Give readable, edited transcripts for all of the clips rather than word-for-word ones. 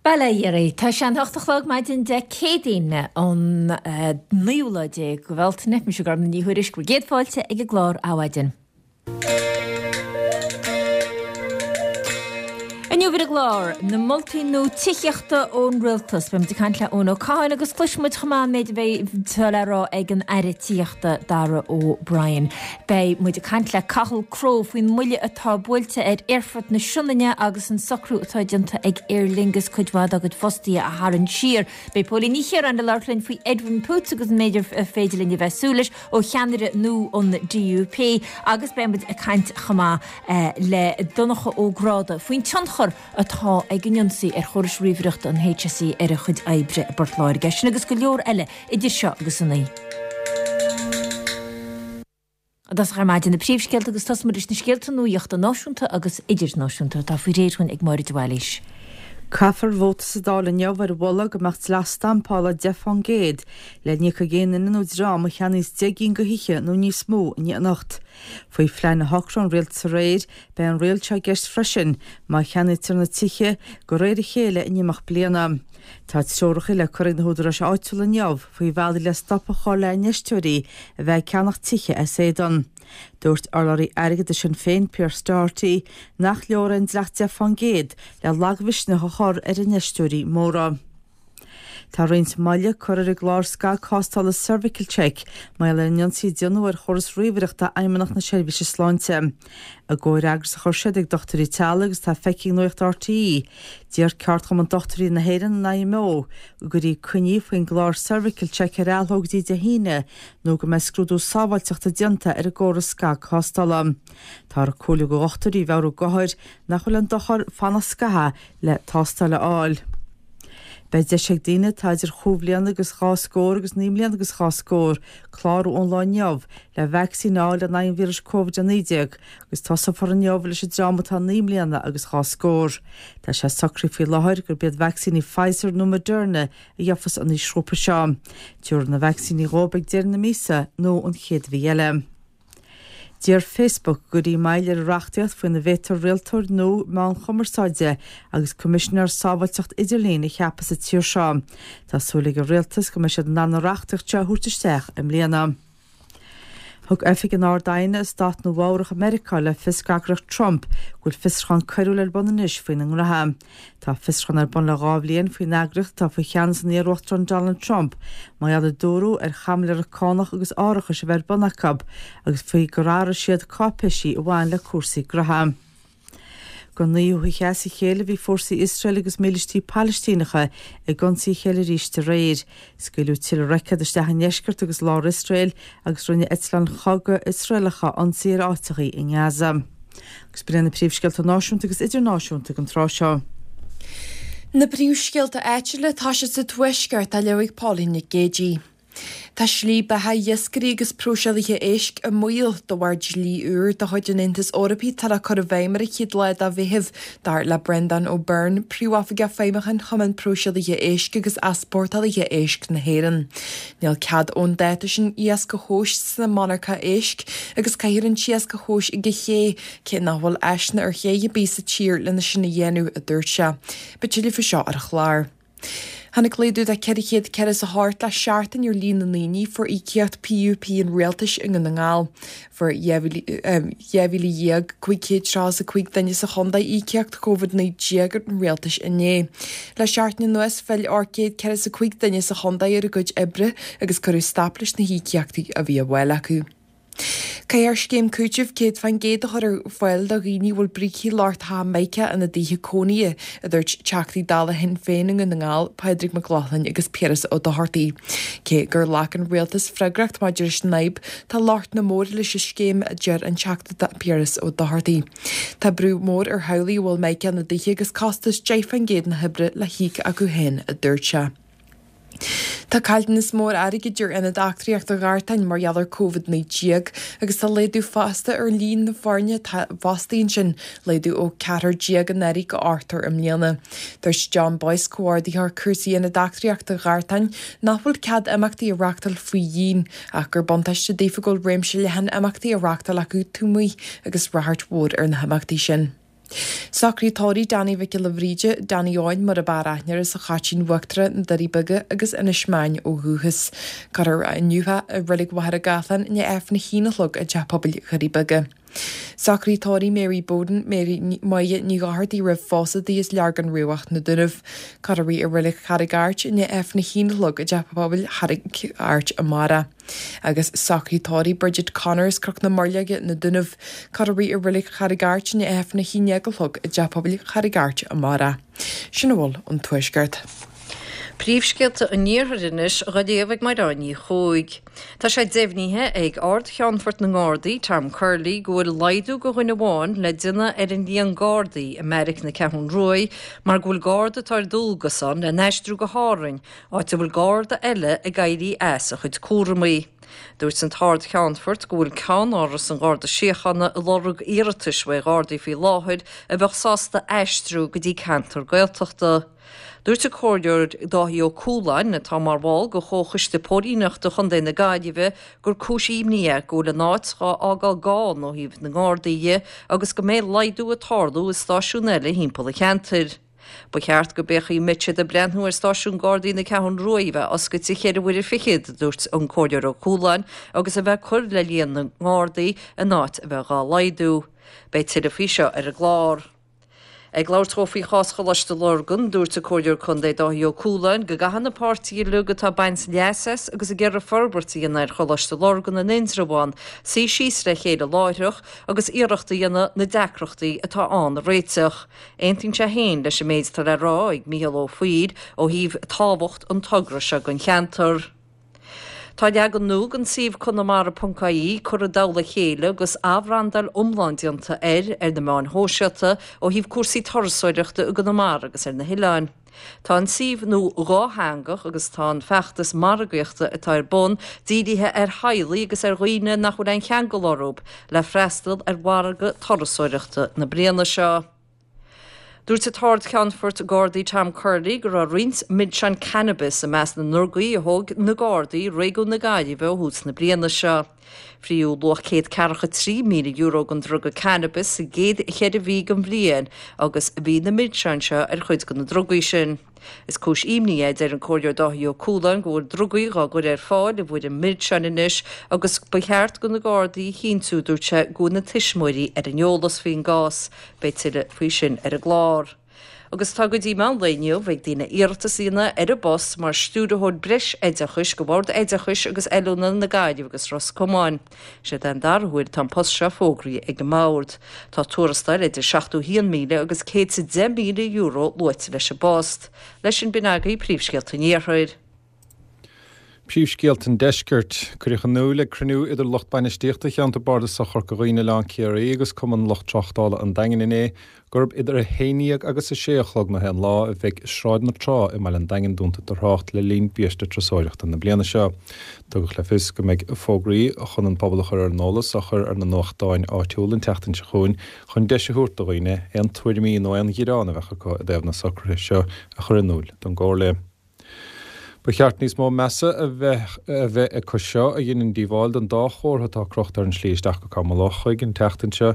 Bail ó Dhia oraibh. Tá sé an hocht a chlog maidin Dé Céadaoin an naoú lá de Bhealtaine. Mise Gormfhlaith Ní Thuairisg, bhur gcéad fáilte ag an gclár Adhmhaidin. Inniu ar an gclár, na moltaí nua tithíochta ón Rialtas. Beidh muid ag caint le Eoin Ó Catháin agus cloisfidh muid chomh maith an méid a bheidh atá le rá ag an Aire Tithíochta Darragh O'Brien. Beidh muid ag caint le Cathal Crowe faoin mbuille atá buailte ar Aerfort na Sionainne agus an socrú atá déanta ag Aer Lingus cuid mhaith dá gcuid fostaithe a tharraingt siar. Beidh Póilín Ní Chiaráin ag labhairt linn faoi Edwin Poots agus an méid ar féidir linn a bheith ag súil leis ó cheannaire nua an DUP agus beidh muid ag caint chomh maith le Donncha Ó Gráda faoin tionchar atá ag an ionsaí ar chórais ríomhaireachta an HSE ar a chuid oibre i bPort Láirge. Sin agus go leor eile idir seo agus a naoi. I dtosach ar maidin na príomhscéalta agus tosóidh muid leis na scéalta nuachta náisiúnta agus idirnáisiúnta atá faoi réir dhúinn ag Máire de Bhailís. Caithfear vóta sa Dáil inniu ar mholadh go mbeadh dleacht stampála 10% le n-íoc ag aon duine nó dream a cheannaíos 10 gcinn de thithe nó níos mó in éineacht. Faoi phlean a shocraigh an Rialtas aréir, beidh an riail seo i gceist freisin má cheannaítear na tithe de réir a chéile in imeacht bliana. Tá treoracha le cur ag na húdaráis áitiúla inniu faoi bhealaí le stop a chur le infheisteoirí a bheith ag ceannach tithe as éadan. Dúirt urlabhraí airgeadais Shinn Féin, Pearse Doherty, nach leor é an dleacht 10% le lagmhisneach a chur ar infheisteoirí móra. Tá roinnt moille curtha ar an gclár scagthástála CervicalCheck mar gheall ar an ionsaí a déanadh ar chóras ríomhaireachta Fheidhmeannacht na Seirbhíse Sláinte. I gcomhfhreagras a chuir siad ag dochtúirí teaghlaigh agus atá feicthe ag Nuacht RTÉ, D'iarr Ceardchumann Dochtúirí na hÉireann, an IMO, go gcuirfí coinní faoin gclár CervicalCheck ar athló go dtí Dé hAoine nó go mbeidh scrúdú sábháilteachta déanta ar an gcóras scagthástála. Táthar ag comhairliú do dhochtúirí mheabhrú d'othair nach bhfuil aon dochar fanacht scaitheamh le tástáil a fháil. Beidh deis ag daoine atá idir chúig bhliana agus dhá scór agus naoi mbliana agus dhá scór clárú ón lá inniu le vacsaín a fháil in aghaidh an víris Covid-19 agus tosófar inniu leis an dream atá naoi mbliana agus dhá scór. Tá sé socraithe faoi láthair gurb iad vacsaíní Pfizer nó Moderna a gheofas an aoisghrúpa seo. Tabharfar na vacsaíní dhóibh ag deireadh na míosa nó an chéad mhí eile. D'iarr Facebook go gcuirfí moill ar an reachtaíocht faoina bhféadfar rialtóir nua meán cumarsáide agus coimisinéir sábháilteacht idirlín a cheapadh sa tír seo. Tá súil ag an rialtas go mbeidh siad in ann an reachtaíocht seo a thabhairt isteach i mbliana. Thug Oifig an Ard-Aighne i Stát Nua-Eabhrac i Meiriceá le fios d'eagraíocht Trump go bhfuil fiosrúchán coiriúil ar bun anois faoina ngnoithe. Tá fiosrúchán ar bun le dhá bhliain faoin eagraíocht atá faoi cheannas an iar-Uachtaráin Donald Trump mar gheall ar dúradh ar chaimiléireacht cánach agus árachais a bheith ar bun acu agus faoi gur athraigh siad cáipéisí a bhain le cúrsaí gnoithe. Don naoú hoíche as a chéile bhí fórsaí Iosrael agus mílístí Palaistíneacha ag ionsaí a chéile arís aréir. Scaoileadh tuilleadh roicéad isteach i ndeisceart agus lár Iosrael agus rinne eitleáin chogaidh Iosraelacha ionsaí ar áiteachaí i nGaza. Agus b'in iad na príomhscéalta náisiúnta agus idirnáisiúnta ag an tráth seo. Na príomhscéalta áitiúla, tá siad sa Tuaisceart á léamh ag Pauline Nic Géidigh. Tá slí beatha iascairí agus próiseálaithe éisc i mbaol de bharr dlí úr de chuid an Aontais Eorpaigh atá le cur i bhfeidhm ar an chéad lá de Mheitheamh, dar le Breandán Ó Beirn, Príomhoifigeach Feidhmiúcháin Chumann Próiseálaithe Éisc agus Easpórtálaithe Éisc na hÉireann. Níl cead ón dáta sin iasc a thomhas sna monarcha éisc agus caithfear an t-iasc a thomhas ag an ché, cé nach bhfuil áiseanna ar ché ar bith sa tír lena sin a dhéanamh, a dúirt sé. Beidh tuilleadh faoi seo ar an chlár. Tháinig laghdú de 448 le seachtain ar líon na ndaoine a fuair íocaíocht PUP an Rialtais i nDún na nGall. Fuair 12,535 duine sa chontae íocaíocht Covid-19 an Rialtais inné. Le seachtain anuas phill 845 duine sa chontae ar a gcuid oibre agus cuireadh stop leis na híocaíochtaí a bhí á bhfáil acu. Caithfear scéim cúitimh 100% a chur ar fáil do dhaoine a bhfuil brící lochtacha mica ina dtithe cónaithe, a dúirt Teachtaí Dála Shinn Féin i nDún na nGall, Pádraig Mac Lochlainn agus Piaras Ó Dochartaigh. Cé gur ghlac an Rialtas freagracht maidir leis an fhadhb, tá lochtanna móra leis an scéim, a deir an Teachta Piaras Ó Dochartaigh. Tá brú mór ar theaghlaigh a bhfuil mica ina dtithe agus costas 10% na hoibre le híoc acu féin, a dúirt sé. Tá caillteanas mór airgid ar Ionad Eachtraíochta Ghartáin mar gheall ar Covid-19 agus tá laghdú fosta ar líon na foirne atá fostaithe ansin, laghdú ó 14 anuraidh go ochtar i mbliana. Dúirt John Boyce, Comhordaitheoir Cúrsaí Ionad Eachtraíochta Ghartáin, nach bhfuil cead imeachtaí a reáchtáil faoi dhíon ach gur buntáiste daofa go bhfuil réimse leathan imeachtaí á reáchtáil acu taobh amuigh agus ráchairt mhór ar na himeachtaí sin. Socruithe tórraimh Danny Mhic Giolla Bhríde, Danny Eoin mar ab fhearr aithne air as an Chaitín Uachtarach, Na Doirí Beaga agus Inis Meáin ó dhúchas. Cuirfear é inniu i Reilig Mhachaire Gathlán i ndiaidh Aifreann a haon a chlog i dTeach Pobail Dhoirí Beaga. Socruithe tórraimh Mary Bowden, Mary Máire Ní Dhochartaigh roimh phósadh di as Leargan Riabhach, Na Dúnaibh. Cuirfear í i Reilig Charraig Airt i ndiaidh Aifreann a haon a chlog i dTeach Pobail Charraig Airt amárach. Agus socruithe tórraimh Bridget Connor as Cnoc na Muirleoige, Na Dúnaibh. Cuirfear í i Reilig Charraig Airt i ndiaidh Aifreann a haon déag a chlog i dTeach Pobail Charraig Airt amárach. Sin a bhfuil ón Tuaisceart. Príomhscéalta an Iarthair anois á léamh ag Mairéad Ní Chuaig. Tá sé deimhnithe ag Ard-Cheannfort na nGardaí, Tom Curley, go bhfuil laghdú de dhuine amháin le déanamh ar an líon Gardaí i mbeairic na Ceathrún Ruaidh mar go bhfuil Garda atá ar dualgas ann le n-aistriú go hÁrainn, áit a bhfuil Garda eile ag éirí as a chuid cúramaí. Dúirt an tArd-Cheannfort go bhfuil Ceann-Áras an Gharda Síochána ag lorg iarratais uaidh Ghardaí faoi láthair a bheadh sásta aistriú go dtí ceantar Gaeltachta. Dúirt an Comhairleoir Dáithí Ó Cualáin, atá mar bhall de Chomhchoiste Póilíneachta Chontae na Gaillimhe, gur cúis imní é go bhfuil an áit dhá fhágáil gann ó thaobh na nGardaí dhe agus go mbeidh laghdú ag tarlú i stáisiúin eile thimpeall an cheantair. Ba cheart go b'fhéachfaí an mbeadh siad ag breathnú ar stáisiún Gardaí na Ceathrún Ruaidh a bheith oscailte cheithre huaire fichead, a dúirt an Comhairleoir Ó Cualáin, agus a bheith ag cur le líon na nGardaí in áit a bheith dhá laghdú. Beidh tuilleadh faoi seo ar an gclár. Ag labhairt dhó faoi chás Choláiste Lurgan, dúirt an Comhairleoir Contae Dáithí Ó Cualáin go gcaithfidh na páirtithe uilig atá ag baint leas as agus ag iarraidh forbairt a dhéanamh ar Choláiste Lurgan in Indreabhán suí síos le chéile láithreach agus iarracht a dhéanamh na deacrachtaí atá ann a réiteach. Aontaíonn sé féin leis an méid atá le rá ag Mícheál Ó Foighil ó thaobh tábhacht an togra seo don cheantar. Tá leagan nua den suíomh Conamara.ie curtha i dtoll a chéile agus athbhrandáil iomlán déanta air ar na meáin shóisialta ó thaobh cúrsaí turasóireachta i gConamara agus ar na hoileáin. Tá an suíomh nua dhátheangach agus tá an feachtas margaíochta atá ar bun dírithe ar theaghlaigh agus ar dhaoine nach bhfuil aon cheangal orthu le freastal ar mhargadh turasóireachta na bliana seo. Dúirt an tArd-Cheannfort Gardaí Tom Curley go raibh roinnt milseáin cannabis i measc na ndrugaí a thóg na Gardaí i réigiún na Gaillimhe ó thús na bliana seo. Fríodh luach €143,000 den druga cannabis sa gcéad cheithre mhí den bhliain agus bhí na milseáin seo ar chuid de na drugaí sin. Is cúis imní é, a deir an Comhairleoir Dáithí Ó Cualáin, go bhfuil drugaí dhá gcur ar fáil i bhfoirm milseáin anois agus ba cheart do na Gardaí a chinntiú, dúirt sé, go bhfuil na tuismitheoirí ar an eolas faoin gcás. Beidh tuilleadh faoi sin ar an gclár. Agus tá go dtí meán lae inniu ag daoine iarratas a dhéanamh ar an bpost mar Stiúrthóir Breisoideachais do Bhord Oideachais agus Oiliúna na Gaillimhe agus Ros Comáin. Is é an dara huair atá an post seo fógraithe ag an mBord. Tá tuarastal idir €71,000 agus €110,000 luaite leis an bpost. Leis sin b'in agaibh príomhscéalta an Iarthair. Príomhscéalta an Deiscirt. Cuireadh in iúl ag cruinniú idir lucht bainistíochta Cheantar Bardasach Chorca Dhuibhne Oileán Ciarraí agus Cumann Lucht Tráchtála an Daingin inné gurb idir 11 agus 6 a chlog na haon lá a bheidh Sráid na Trá i mbaile an Daingin dúnta do thrácht le linn biaiste turasóireachta na bliana seo. Tugadh le fios go mbeidh fógraí chun an pobal a chur ar an eolas á chur ar na nuachtáin áitiúla an tseachtain seo chugainn chun deis a thabhairt do dhaoine aon tuairimí nó aon ghearán a bheadh acu i dtaobh na socruithe seo a chur in iúl don gComhairle. Ba cheart níos mó measa a bheith a bheith acu seo a dheineann díobháil don dá chomhartha atá crochta ar an slí isteach go Cam an Lochaigh an tseachtain seo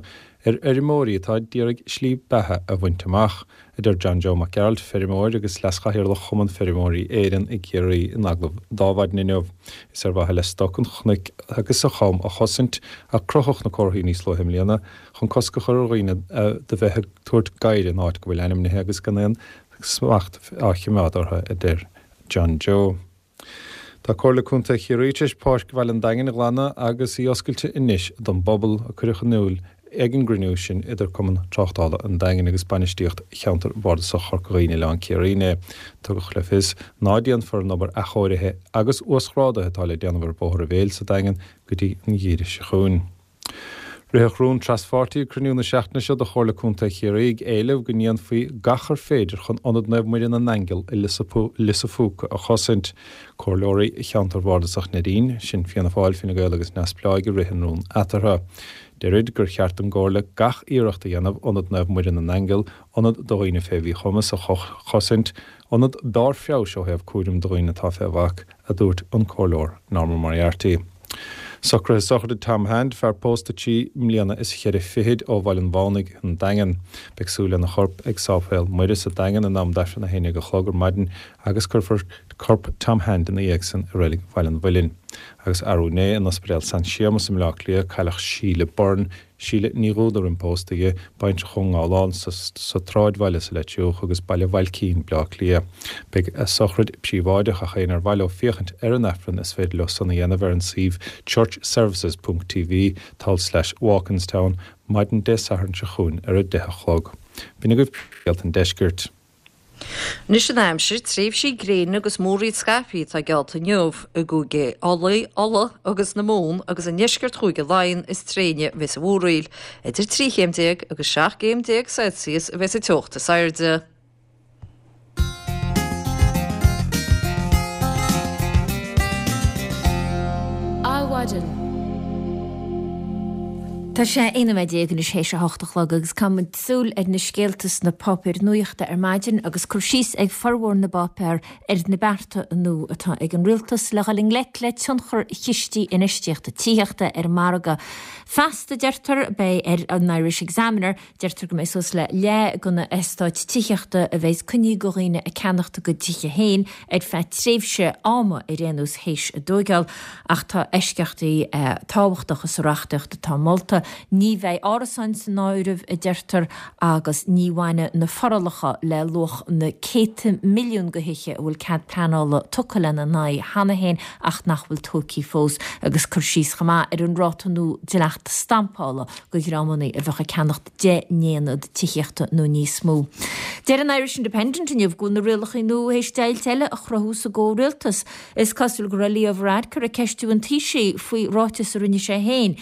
ar fheirmeoirí atá d'iarraidh slí beatha a bhaint amach, a deir John Joe Mac Gearailt, feirmeoir agus leaschathaoirleach Chumann Feirmeoirí Éireann i gCiarraí in agallamh d'Adhmhaidin inniu. Is ar mhaithe le stoc an chnoic agus an cham a chosaint a crochadh na comharthaí níos luaithe i mbliana chun cosc a chur ar dhaoine de bheith ag tabhairt gadhair in áit go bhfuil ainmnithe agus gan aon smacht á choimeád orthu, a deir John Joe. Tá Comhairle Contae Chiarraí tar éis Páirc Bhaile an Daingin a ghlanadh agus í oscailte anois don bpobal, a cuireadh in iúl ag an gcruinniú sin idir Cumann Tráchtála an Daingin agus bainistíocht Cheantar Bardasach Chorca Dhuibhne Oileán Ciarraí inné. Tugadh le fios ná déanfar an obair athchóirithe agus uasghrádaithe atá le déanamh ar Bhóthar an Bhéil sa Daingean go dtí an geimhreadh seo chugainn. Ritheadh rún traspháirtí ag cruinniú na seachtaine seo de Chomhairle Contae Chiarraí ag éileamh go ndéanfaí gach ar féidir chun Ionad Naomh Muire na nAingeal i Lios a' Phúca a chosaint. Comhairleoirí Cheantar Bhardasach Neidín, sin Fianna Fáil, Fine Gael agus Neamhspleáigh a rith an rún eatarthu. Deirid gur cheart don gComhairle gach iarracht a dhéanamh Ionad Naomh Muire na nAingeal, ionad do dhaoine fé mhíchumas, a chosaint, ionad barr feabhais ó thaobh cúraim do dhaoine atá fé bhac, a dúirt an Comhairleoir Norma Moriarty. Socruithe sochraide Tom Hand, fear pósta trí mbliana is cheithre fichid ó Bhaile an Mhánaigh, an Daingean. Beidh súil lena chorp ag Sáipéal Muire sa Daingean in am d'Aifreann 11 a chlog ar maidin agus cuirfear corp Tom Hand ina dhiaidh san i Reilig Bhaile an Mhuilinn. Agus arú inné in Ospidéal San Séamas i mBleá Cliath cailleadh Síle Byrne, Síle Ní Dhúda roim pósta di, baintreach ón nGabhlán sa tSráidbhaile sa Leitriúch agus Baile Bhailcín, Bleá Cliath. Beidh a sochraid príobháideach ach éinne ar mhaith leo féachaint ar an Aifreann is féidir leo san a dhéanamh ar an suíomh churchservices ponc tv tulslais Walkinstown maidin Dé Sathairn seo chugainn ar 10 a chlog. B'in agaibh scéalta an deiscirt. Anois an aimsir, tréimhsí gréine agus múraíl scaipthe atá geallta inniu i gCúige Ulaidh, Uladh agus na Mumhan agus i ndeisceart Chúige Laighean is tréine a bheas an mhúraíl. Idir 13 chéim agus 17 gcéim Celsius a bheas an teocht is airde. Adhmhaidin. Tá sé 11 nóiméad anois théis a hocht a chlog agus caithfidh muid súil ar na scéalta sna páipéir nuachta ar maidin agus cur síos ag formhór na bpáipéar ar na bearta nua atá ag an rialtas le dhul i ngleic le tionchar chistí infheistíochta tithíochta ar an margadh. Feasta, deirtear, beidh ar an Irish Examiner, Deirtear go mbeidh suas le leath de na heastáit tithíochta a bheas coinnithe do dhaoine ag ceannacht a gcuid tithe féin ar feadh tréimhse ama ar aon nós théis a dtóigeáil ach tá eisceachtaí tábhachtacha sa reachtaíocht atá molta. Ní bheidh árasáin san áireamh, a deirtear, agus ní bhainfidh na forálacha le luach na céadta milliún de thithe a bhfuil cead pleanála tugtha lena n-aghaidh cheana féin ach nach bhfuil tógtha fós agus cur síos chomh maith ar an ráta nua dleachta stampála do dhreamanna a bheadh ag ceannacht 10 n-aonad tithíochta nó níos mó. Deir an Irish Independent inniu go bhfuil na rialacha nua théis deighilt eile a chruthú sa gcomhrialtas. Is cosúil go raibh Leo Varadkar ag ceistiú an Taoisigh faoi ráiteas a rinne sé féin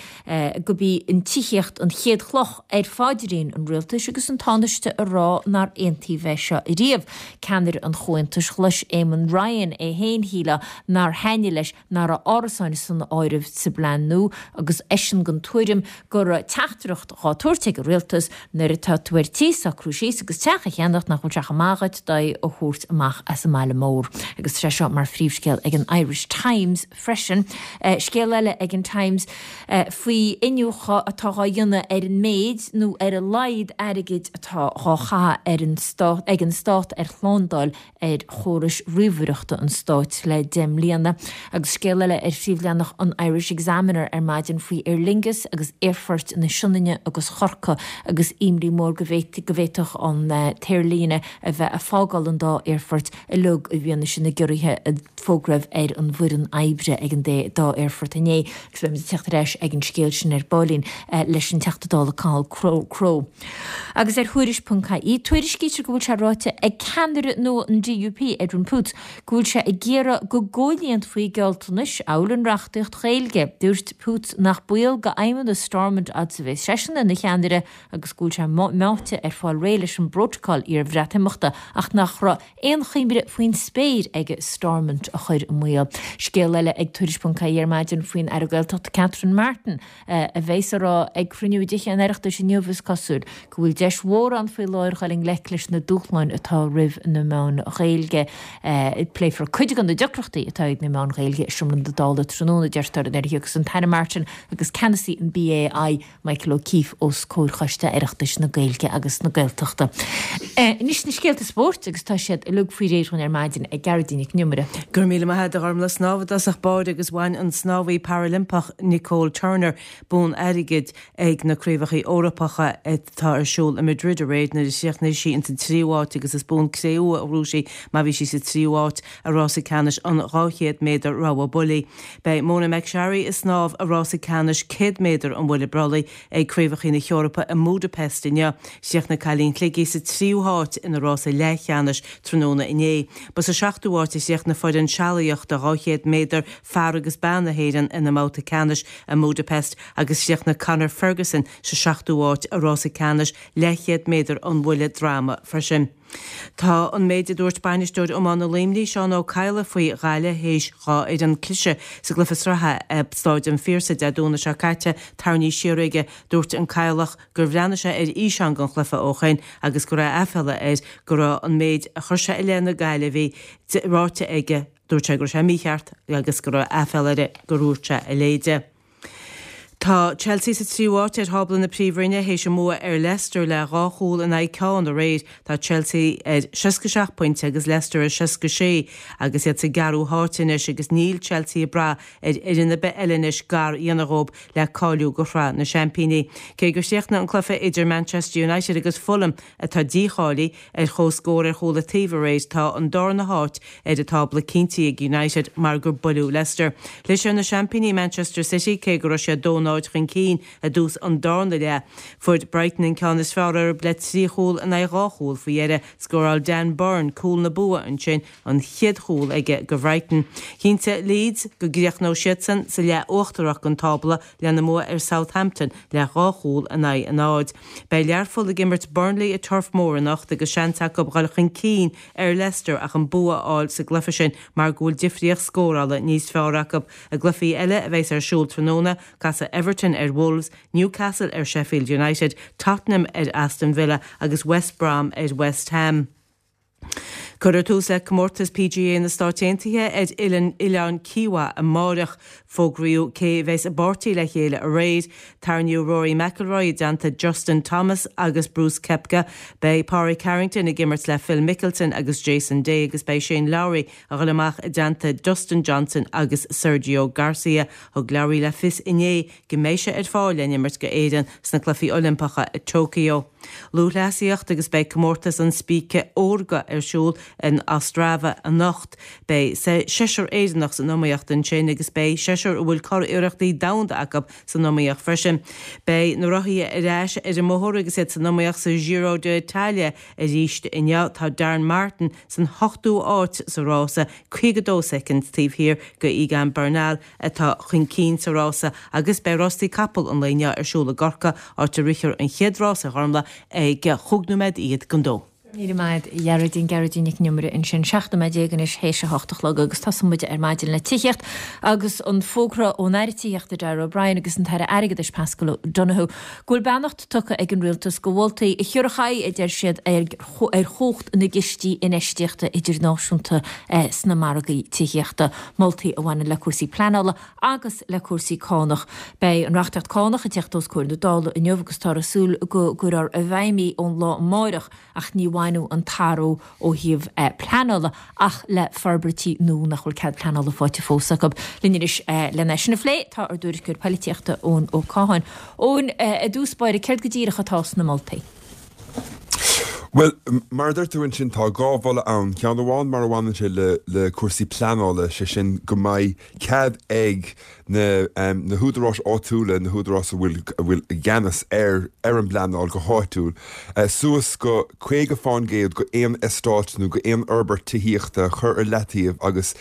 gurb í an tithíocht an chéad chloch ar phaidrín an rialtais agus an Tánaiste ag rá nár aontaíodh é seo ariamh. Ceannaire an Chomhaontais Ghlais Eamon Ryan é féin, shílfeá nár thaitnigh leis nach raibh árasáin san áireamh sa bplean nua agus eisean den tuairim go raibh teachtaireacht dhá tabhairt ag an rialtas nuair atá tú ar tí socrú síos agus teach a cheannacht nach bhfuil sé chomh maith dhuit d'aghaidh a thabhairt amach as an mbaile mór. Agus tá sé seo mar phríomhscéal ag an Irish Times freisin. Scéal eile ag an Times faoi iniúchadh atá dhá dhéanamh ar an méid nó ar a laghad airgid atá dhá chaitheamh ar an stát ag an stát ar shlándáil ar chórais ríomhaireachta an stáit le 10 mbliana. Agus scéal eile ar phríomhleathanach an Irish Examiner ar maidin faoi Aer Lingus agus aerfoirt na Sionainne agus Chorcaí agus imní mór go bhféadfadh an t-aerlíne a bheith ag fágáil an dá aerfort uilig i bhfianaise na gciorruithe a fógraíodh ar an bhfoireann oibre ag an dá aerfort inné. Agus beimid ag teacht ar ais ag an scéal sin ar baillín leis an Teachta Dála Cathal Crowe. Agus ar Thuairisc ponc ie, tuairiscítear go bhfuil sé ráite ag ceannaire nua an DUP, Edwin Poots, go bhfuil sé ag iarraidh go gcomhlíonfaí gealltanais amhail an reachtaíocht Ghaeilge. Dúirt Poots nach baol d'fheidhmeannas Stormont fhad is a bheas seisean ina cheannaire agus go bhfuil sé meáite ar fáil réidh leis an bprótacal iar-Bhreatimeachta ach nach raibh aon chuimhne faoin spéir aige Stormont a chur i mbaol. Scéal eile ag Tuairisc ponc ie ar maidin faoin Aire Gaeltachta Catherine Martin, a bheas á rá ag cruinniú i dTithe an Oireachtais inniu, is cosúil, go bhfuil deis mhór ann faoi láthair dhul i ngleic leis na dúshláin atá roimh na meáin Ghaeilge. Pléifear cuid de na deacrachtaí atá ag na meáin Ghaeilge i Seomra na Dála tráthnóna, deirtear, nuair a thiocfas an tAire Martin agus ceannasaí an BAI, Michael O'Keeffe, os comhair Choiste Oireachtais na Gaeilge agus na Gaeltachta. Anois na scéalta spóirt agus tá siad uilig faoi réir dhúinn ar maidin ag Gearóidín Nic an Iomaire. Go raibh míle maith agat a Ghormlaith. Snámh i dtosach báire agus bhain an snámhaí Parailimpeach Nicole Turner bonn airgid ag na Craobhacha Eorpacha atá ar siúl i Madrid aréir nuair a chríochnaigh sí ins an tríú háit agus is bonn cré-umha a ghnóthaigh sí mar bhí sí sa tríú háit i rása ceannais an 200 méadar rogha bullaí. Beidh Mona McSharry ag snámh i rása ceannais 100 méadar an bhuille brollaigh ag Craobhacha na hEorpa i mBúdapest inniu. Chríochnaigh cailín Shligigh sa tríú háit ina rása leathcheannais tráthnóna inné. Ba sa seachtú háit a chríochnaigh foireann sealaíochta 200 méadar fear agus bean na hÉireann ina mbabhta ceannais i mBúdapest agus chríochnaigh Conor Ferguson sa seachtú háit i rása ceannais leathchéad méadar an bhuille droma freisin. Tá an méid a dúirt bainisteoir iomána Luimnigh, Seán Ó Cadhla faoi Ghaillimh théis dhá fhoireann cliseadh sa gcluiche sraithe i Stáid an Phiarsaigh Dé Domhnaigh seo caite tarraingthe siar aige. Dúirt an Cadhlach gur bhreathnaigh sé ar fhíseán den chluiche ó shoin agus go raibh aiféala air go raibh an méid a chuir sé i leith na Gaillimhigh ráite aige. Dúirt sé go raibh sé mícheart agus go raibh aiféala air gur dhúirt sé a leithéid. Tá Chelsea sa tríú háit ar thábla na Príomhroinne théis a mbua ar Leicester le 2 chúl in aghaidh ceann aréir. Tá Chelsea ar 67 pointe agus Leicester ar 66 agus iad sa gceathrú háit anois agus níl Chelsea ag brath ar fhoireann ar bith eile anois gar a dhéanamh dhóibh le cáiliú go Shraith na Seaimpíní. Cé gur chríochnaigh an cluiche idir Manchester United agus Fulham, atá dícháilithe, ar comhscór ar chúl an taobh aréir, tá an darna háit ar an tábla cinntithe ag United mar gur buaileadh Leicester. Chlis ar na seaimpíní Manchester City cé go raibh siad 2-0 chun cinn i dtús an darna leath. Fuair Brighton an ceann is fearr orthu le 3 chúl in aghaidh 2 chúl faoi dheireadh. Scóráil Dan Burn cúl na bua ansin, an chéad chúl aige go Bhrighton. Chinntigh Leeds go gcríochnódh siadsan sa leath uachtarach den tábla lena mbua ar Southampton le 2 chúl in aghaidh a náid. Beidh Learpholl ag imirt Burnley i Turf Moor anocht agus seans acu dhul chun cinn ar Leicester ach an bua a fháil sa gcluiche sin mar go bhfuil difríocht scórála níos fearr acu. I gcluichí eile a bheas ar siúl tráthnóna, casfaidh Everton ar Wolves, Newcastle ar Sheffield United, Tottenham ar Aston Villa agus West Brom ar West Ham. Cuirfear tús le comórtas PGA na Stáit Aontaithe ar Oileán Kiawah amáireach. Fógraíodh cé a bheas i bpáirtí le chéile aréir. Tarraingíodh Rory McIlroy i dteannta Justin Thomas agus Brooks Koepka. Beidh Pádraig Harrington ag imirt le Phil Mickelson agus Jason Day agus beidh Shane Lowry a dhul amach i dteannta Dustin Johnson agus Sergio Garcia. Thug Lowry le fios inné go mbeidh sé ar fáil le n-imirt go Éirinn sna Cluichí Oilimpeacha i Tokyo. Lúthchleasaíocht agus beidh comórtas an Spíce Órga ar siúl in Ostrava anocht. Beidh seisear Éireannach san iomaíocht ansin agus beidh seisear a bhfuil curiarrachtaí domhanda acu san iomaíocht freisin. Beidh na rothaithe ar ais ar an mbóthar agus iad san iomaíocht sa Giro d'Italia arís inniu. Tá Darren Martin san ochtú háit sa rása, 52 soicind taobh thiar de Egan Bernal. atá chun cinn sa rása agus beidh rástaí capall an lae inniu ar siúl i gCorcaigh, áit a rithfear an chéad rás ar Ghormlaith ag chúig nóiméad fhichead don dó. Míle maith agat a Ghearóidín, Gearóidín Nic an Iomaire ansin. 17 nóiméad anois théis a hocht a chlog agus tosóidh muid ar maidin le tithíocht agus an fógra ón Aire Tithíochta Darragh O'Brien agus an tAire Airgeadais Paschal Donohoe go bhfuil beannacht tugtha ag an Rialtas do mholtaí a thiúrfadh aghaidh, a deir siad, ar chumhacht na gcistí infheistíochta idirnáisiúnta sna margaí tithíochta, moltaí a bhaineann le cúrsaí pleanála agus le cúrsaí cánach. Beidh an reachtaíocht cánach ag teacht os comhair na Dála inniu agus táthar ag súil go gcuirfear i bhfeidhm í ón lá amáireach ach ní bhainfeadh an t-athrú ó thaobh pleanála ach le forbairtí nua nach bhfuil cead pleanála faighte fós acu. Linn anois len é sin a phlé tá ár dtuairisceoir poilitíochta Eoin Ó Catháin. Eoin, i dtús báire, céard go díreach atá sna moltaí? Bhuel, mar a deir tú ansin, tá 2 mholadh ann. Ceann amháin mar a bhaineann sé le le cúrsaí pleanála, sé sin go mbeidh cead ag na na húdaráis áitiúla, na húdaráis a bhfuil a bhfuil i gceannas ar ar an bpleanáil go háitiúil, suas go 50 fán gcéad go aon eastát nó go aon fhorbairt tithíochta a chur ar leataobh agus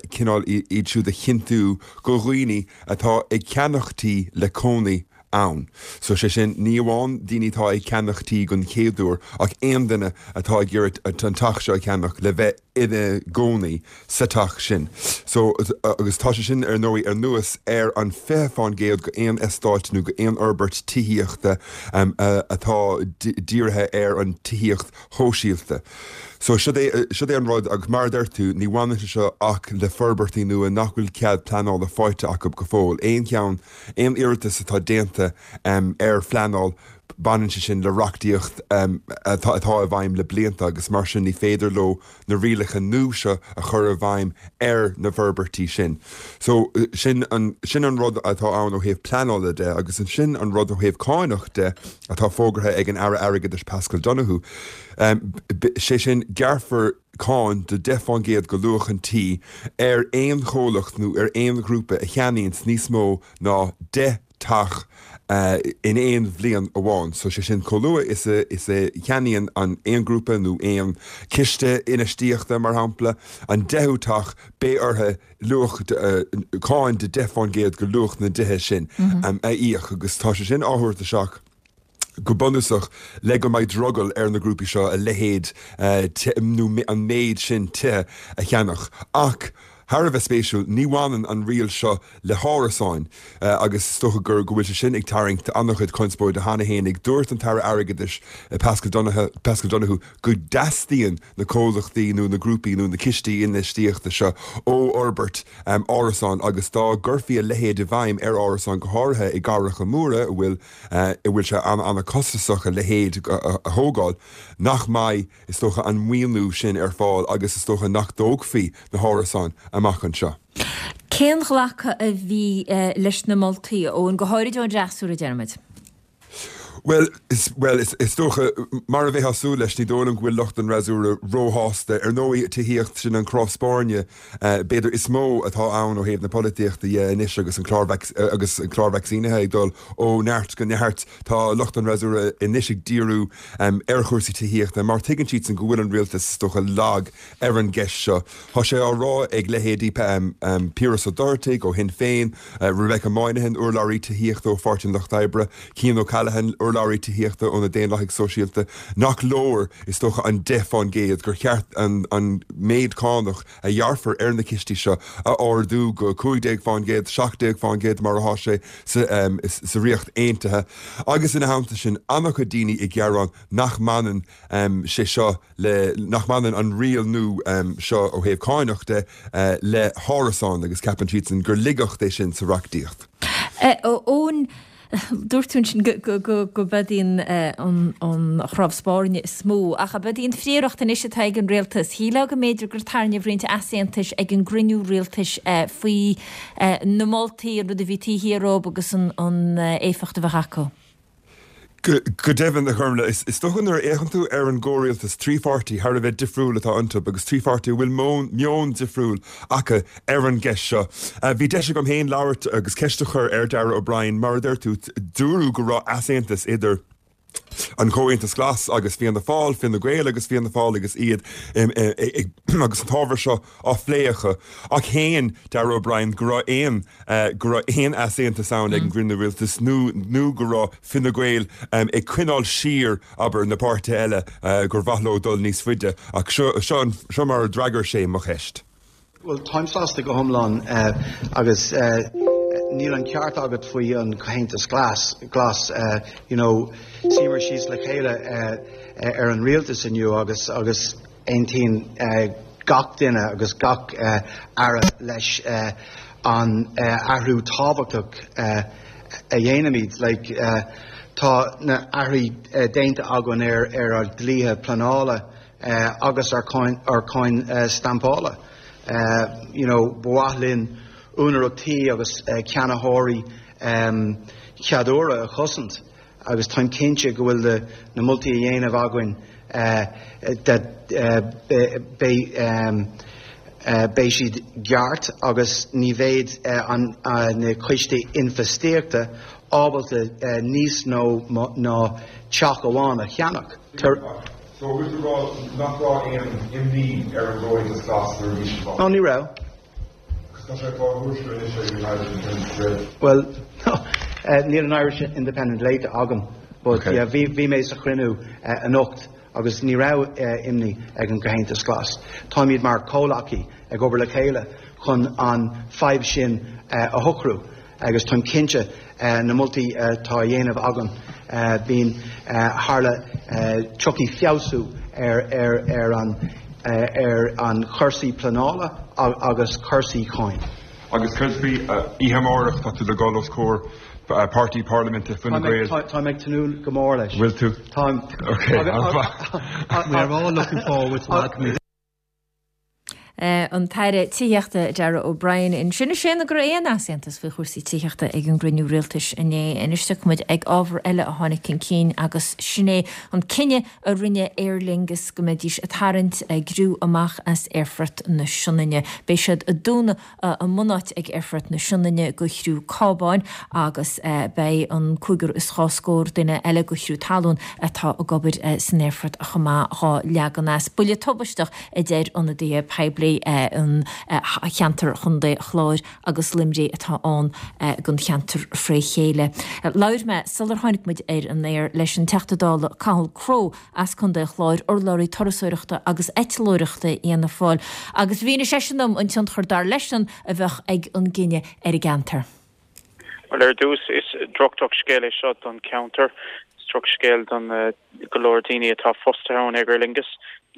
cineál iad siúd a chinntiú go dhaoine atá ag ceannach tí le cónaí ann. So, sé sin, ní amháin daoine atá ag ceannach tí don chéad uair ach aon duine atá ag iarraidh an teach seo a cheannach le bheith ina gcónaí sa teach sin. So, agus tá sé sin ar ndóigh anuas ar an 20 fán gcéad go aon eastáit nó go aon fhorbairt tithíochta atá dírithe ar an tithíocht shóisialta. So, siod é, siod é an rud agus mar a deir tú, ní bhaineann sé seo ach le forbairtí nua nach bhfuil cead pleanála faighte acu go fóill. Aon cheann Aon iarratas atá déanta ar phleanáil, baineann sé sin le reachtaíocht atá i bhfeidhm le blianta agus mar sin ní féidir leo na rialacha nua seo a chur i bhfeidhm ar na forbairtí sin. So, sin an, sin an rud atá ann ó thaobh pleanála de agus ansin an rud ó thaobh cáinach de atá fógartha ag an Aire Airgeadais Paschal Donohoe, sé sin gearrfar cáin de 10 fán gcéad go luach an tí ar aon chomhlacht nó ar aon ghrúpa a cheannaíonns níos mó ná 10 teach in aon bhliain amháin. So sé sin chomh luath is a is a cheannaíonn an aon ghrúpa nó aon chiste infheistíochta, mar shampla, an deichiú teach, beidh orthu luach cáin de 10 fán gcéad go luach na dtithe sin a íoc agus tá sé sin á thabhairt isteach go bunúsach, le go mbeidh drogall ar na grúpaí seo a leithéid nó an méid sin tithe a cheannach. Ach. Thar a bheith spéisiúil, ní bhaineann an riail seo le hárasáin agus is dócha gur go bhfuil sé sin ag tarraingt an-chuid conspóide cheana fhéinig. Dúirt an tAire Airgeadais Paschal Donohoe Paschal Donohoe go dteastaíonn na comhlachtaí nó na grúpaí nó na cistí infheistíochta seo ó fhorbairt árasán agus dá gcuirfí a leithéid i bhfeidhm ar árasáin go háirithe i gcathracha móra a bhfuil a bhfuil sé an-an-chostasach a leithéid a thógáil nach mbeidh is dócha, an maoiniú sin ar fáil agus is dócha nach dtógfaí na hárasáin amach anseo. Cén ghlacadh a bhí leis na moltaí, a Eoin, go háirid ón fhreasúra, deirimid? Bhuel, bhuel, is dócha, mar a bheifeá ag súil leis, ní dóigh liom go bhfuil lucht an fhreasúra róshásta. Ar ndóigh, tithíocht, sin an cnámh spairne, b'fhéidir, is mó atá ann ó thaobh na polaitíochta dhe anois agus an clár agus an clár vacsaínithe ag dul ó neart go neart. Tá lucht an fhreasúra anois ag díriú ar chúrsaí tithíochta mar tuigeann siadsan go bhfuil an rialtas, is dócha, lag ar an gceist seo. Tá sé á rá ag leithéidí Piaras Ó Dochartaigh ó Shinn Féin, Rebecca Moynihan, urlabhraí tithíochta ó Pháirtí an Lucht Oibre, Cian O'Callaghan, urlabhraí tithíochta ó na Daonlathaigh Sóisialta, nach leor, is dócha, an 10 fán gcéad, gur cheart an méid cánach a ghearrfar ar na cistí seo a ardú go 15 fán gcéad, 17 fán gcéad mar atá sé sa Ríocht Aontaithe. Agus ina theannta sin, an-chuid daoine ag gearán nach mbaineann sé seo le, nach mbaineann an riail nua seo ó thaobh cáinach de le hárasáin agus ceapann siadsan gur laigeacht é sin sa reachtaíocht. Eoin, dúirt tú ansin go b'ead í an chnámh spairne is mó, ach ab ead í an phríoracht anois atá ag an rialtas? Shílfeá go mb'fhéidir gur tarraingíodh roinnt easaontais ag an gcruinniú rialtais faoi na moltaí, an rud a bhí taobh thiar dhóibh agus an éifeacht a bheadh acu. Go deimhin, a Ghormfhlaith, is dócha nuair a fhéachann tú ar an gcomhrialtas, 3 pháirtí thar a bheith difriúil atá iontu agus 3 pháirtí a bhfuil meon difriúil acu ar an gceist seo. Bhí deis agam féin labhairt agus ceist a chur ar Darragh O'Brien, mar a deir tú, dúradh go raibh easaontas idir an Comhaontas Glas agus Fianna Fáil, Fine Gael agus Fianna Fáil agus iad ag agus an t-ábhar seo á phlé acu. Ach shéan Darragh O'Brien go raibh aon go raibh aon easaontas ann ag an gcruinniú rialtais nó nó go raibh Fine Gael ag coinneáil siar, abair, na páirtithe eile gur mhaith leo dul níos faide. Ach seo seo seo mar a d'fhreagair sé mo cheist. Bhuel, táim sásta go hiomlán agus níl an ceart agat faoi an Comhaontas Glas, Glas, you know, suíomar síos le chéile ar an rialtas inniu agus agus aontaíonn gach duine agus gach aire leis an athrú tábhachtach a dhéanaimid. Like, tá na athruithe déanta againn ar ar ár dlíthe pleanála, agus ar cháin stampála. You know, ba mhaith linn úinéireacht tí agus ceannaitheoirí chéaduaire a chosaint agus táim cinnte go bhfuil na moltaí a dhéanamh againn that beidh beidh siad ceart agus ní bheidh na coistí infheistíochta ábalta níos mó ná teach amháin a cheannach. So bhfuil tú rá nach raibh aon imní ar an gComhaontas Glas nuair a bhí siad No, ní raibh. Agus tá sé á thuairisciú anois ag an Irish Independent go raibh. Bhuel, no, níl an Irish Independent léite agam, but Okay. yeah, bhí, bhí mé sa chruinniú anocht agus ní raibh imní ag an gComhaontas Glas. Táimid mar chomhleacaí ag obair le chéile chun an fadhb sin a shocrú. Agus táim cinnte na moltaí atá a dhéanamh againn, bíonn tharla tiocfaidh feabhsú ar ar an ar an chúrsaí pleanála agus cúrsaí cáin. Agus céard faoi oíche amárach, tá tú le dhul os comhair páirtí parlaiminte Fine Gael. Táim ag tnúth go mór leis. Bhfuil tú? Táim. Ok, an-mhaith. We are all looking forward to that. An tAire Tithíochta Darragh O'Brien ansin ag séanadh go raibh aon easaontas faoi chúrsaí tithíochta ag an gcruinniú rialtais inné. Anois tiocfaidh muid ag ábhar eile a tháinig chun cinn agus sin é an cinneadh a rinne Aer Lingus go mbeidís ag tarraingt a gcriú amach as Aerfort na Sionainne. Beidh siad ag dúnadh a mbunáit ag Aerfort na Sionainne go chriú cábáin agus beidh an cúigear is dhá scór duine eile go chriú talún atá ag obair san aerfort chomh maith dhá leagan as. Buille tubaisteach a deir ionadaithe poiblí. Ciarraí an cheantar Chontae Chláir agus Luimnigh atá ann don cheantar fré chéile. Labhair mé sular tháinig muid ar an aer leis an Teachta Dála Cathal Crowe as Contae an Chláir, urlabhraí turasóireachta agus eitleoireachta Fhianna Fáil, agus mhínigh seisean dom an tionchar dar leisean a bheadh ag an gcinneadh ar an gceantar. Bhuel, ar dtús, is droch-drochscéal é seo don cheantar. Is drochscéal don go leor daoine atá fostaithe ann ag Aer Lingus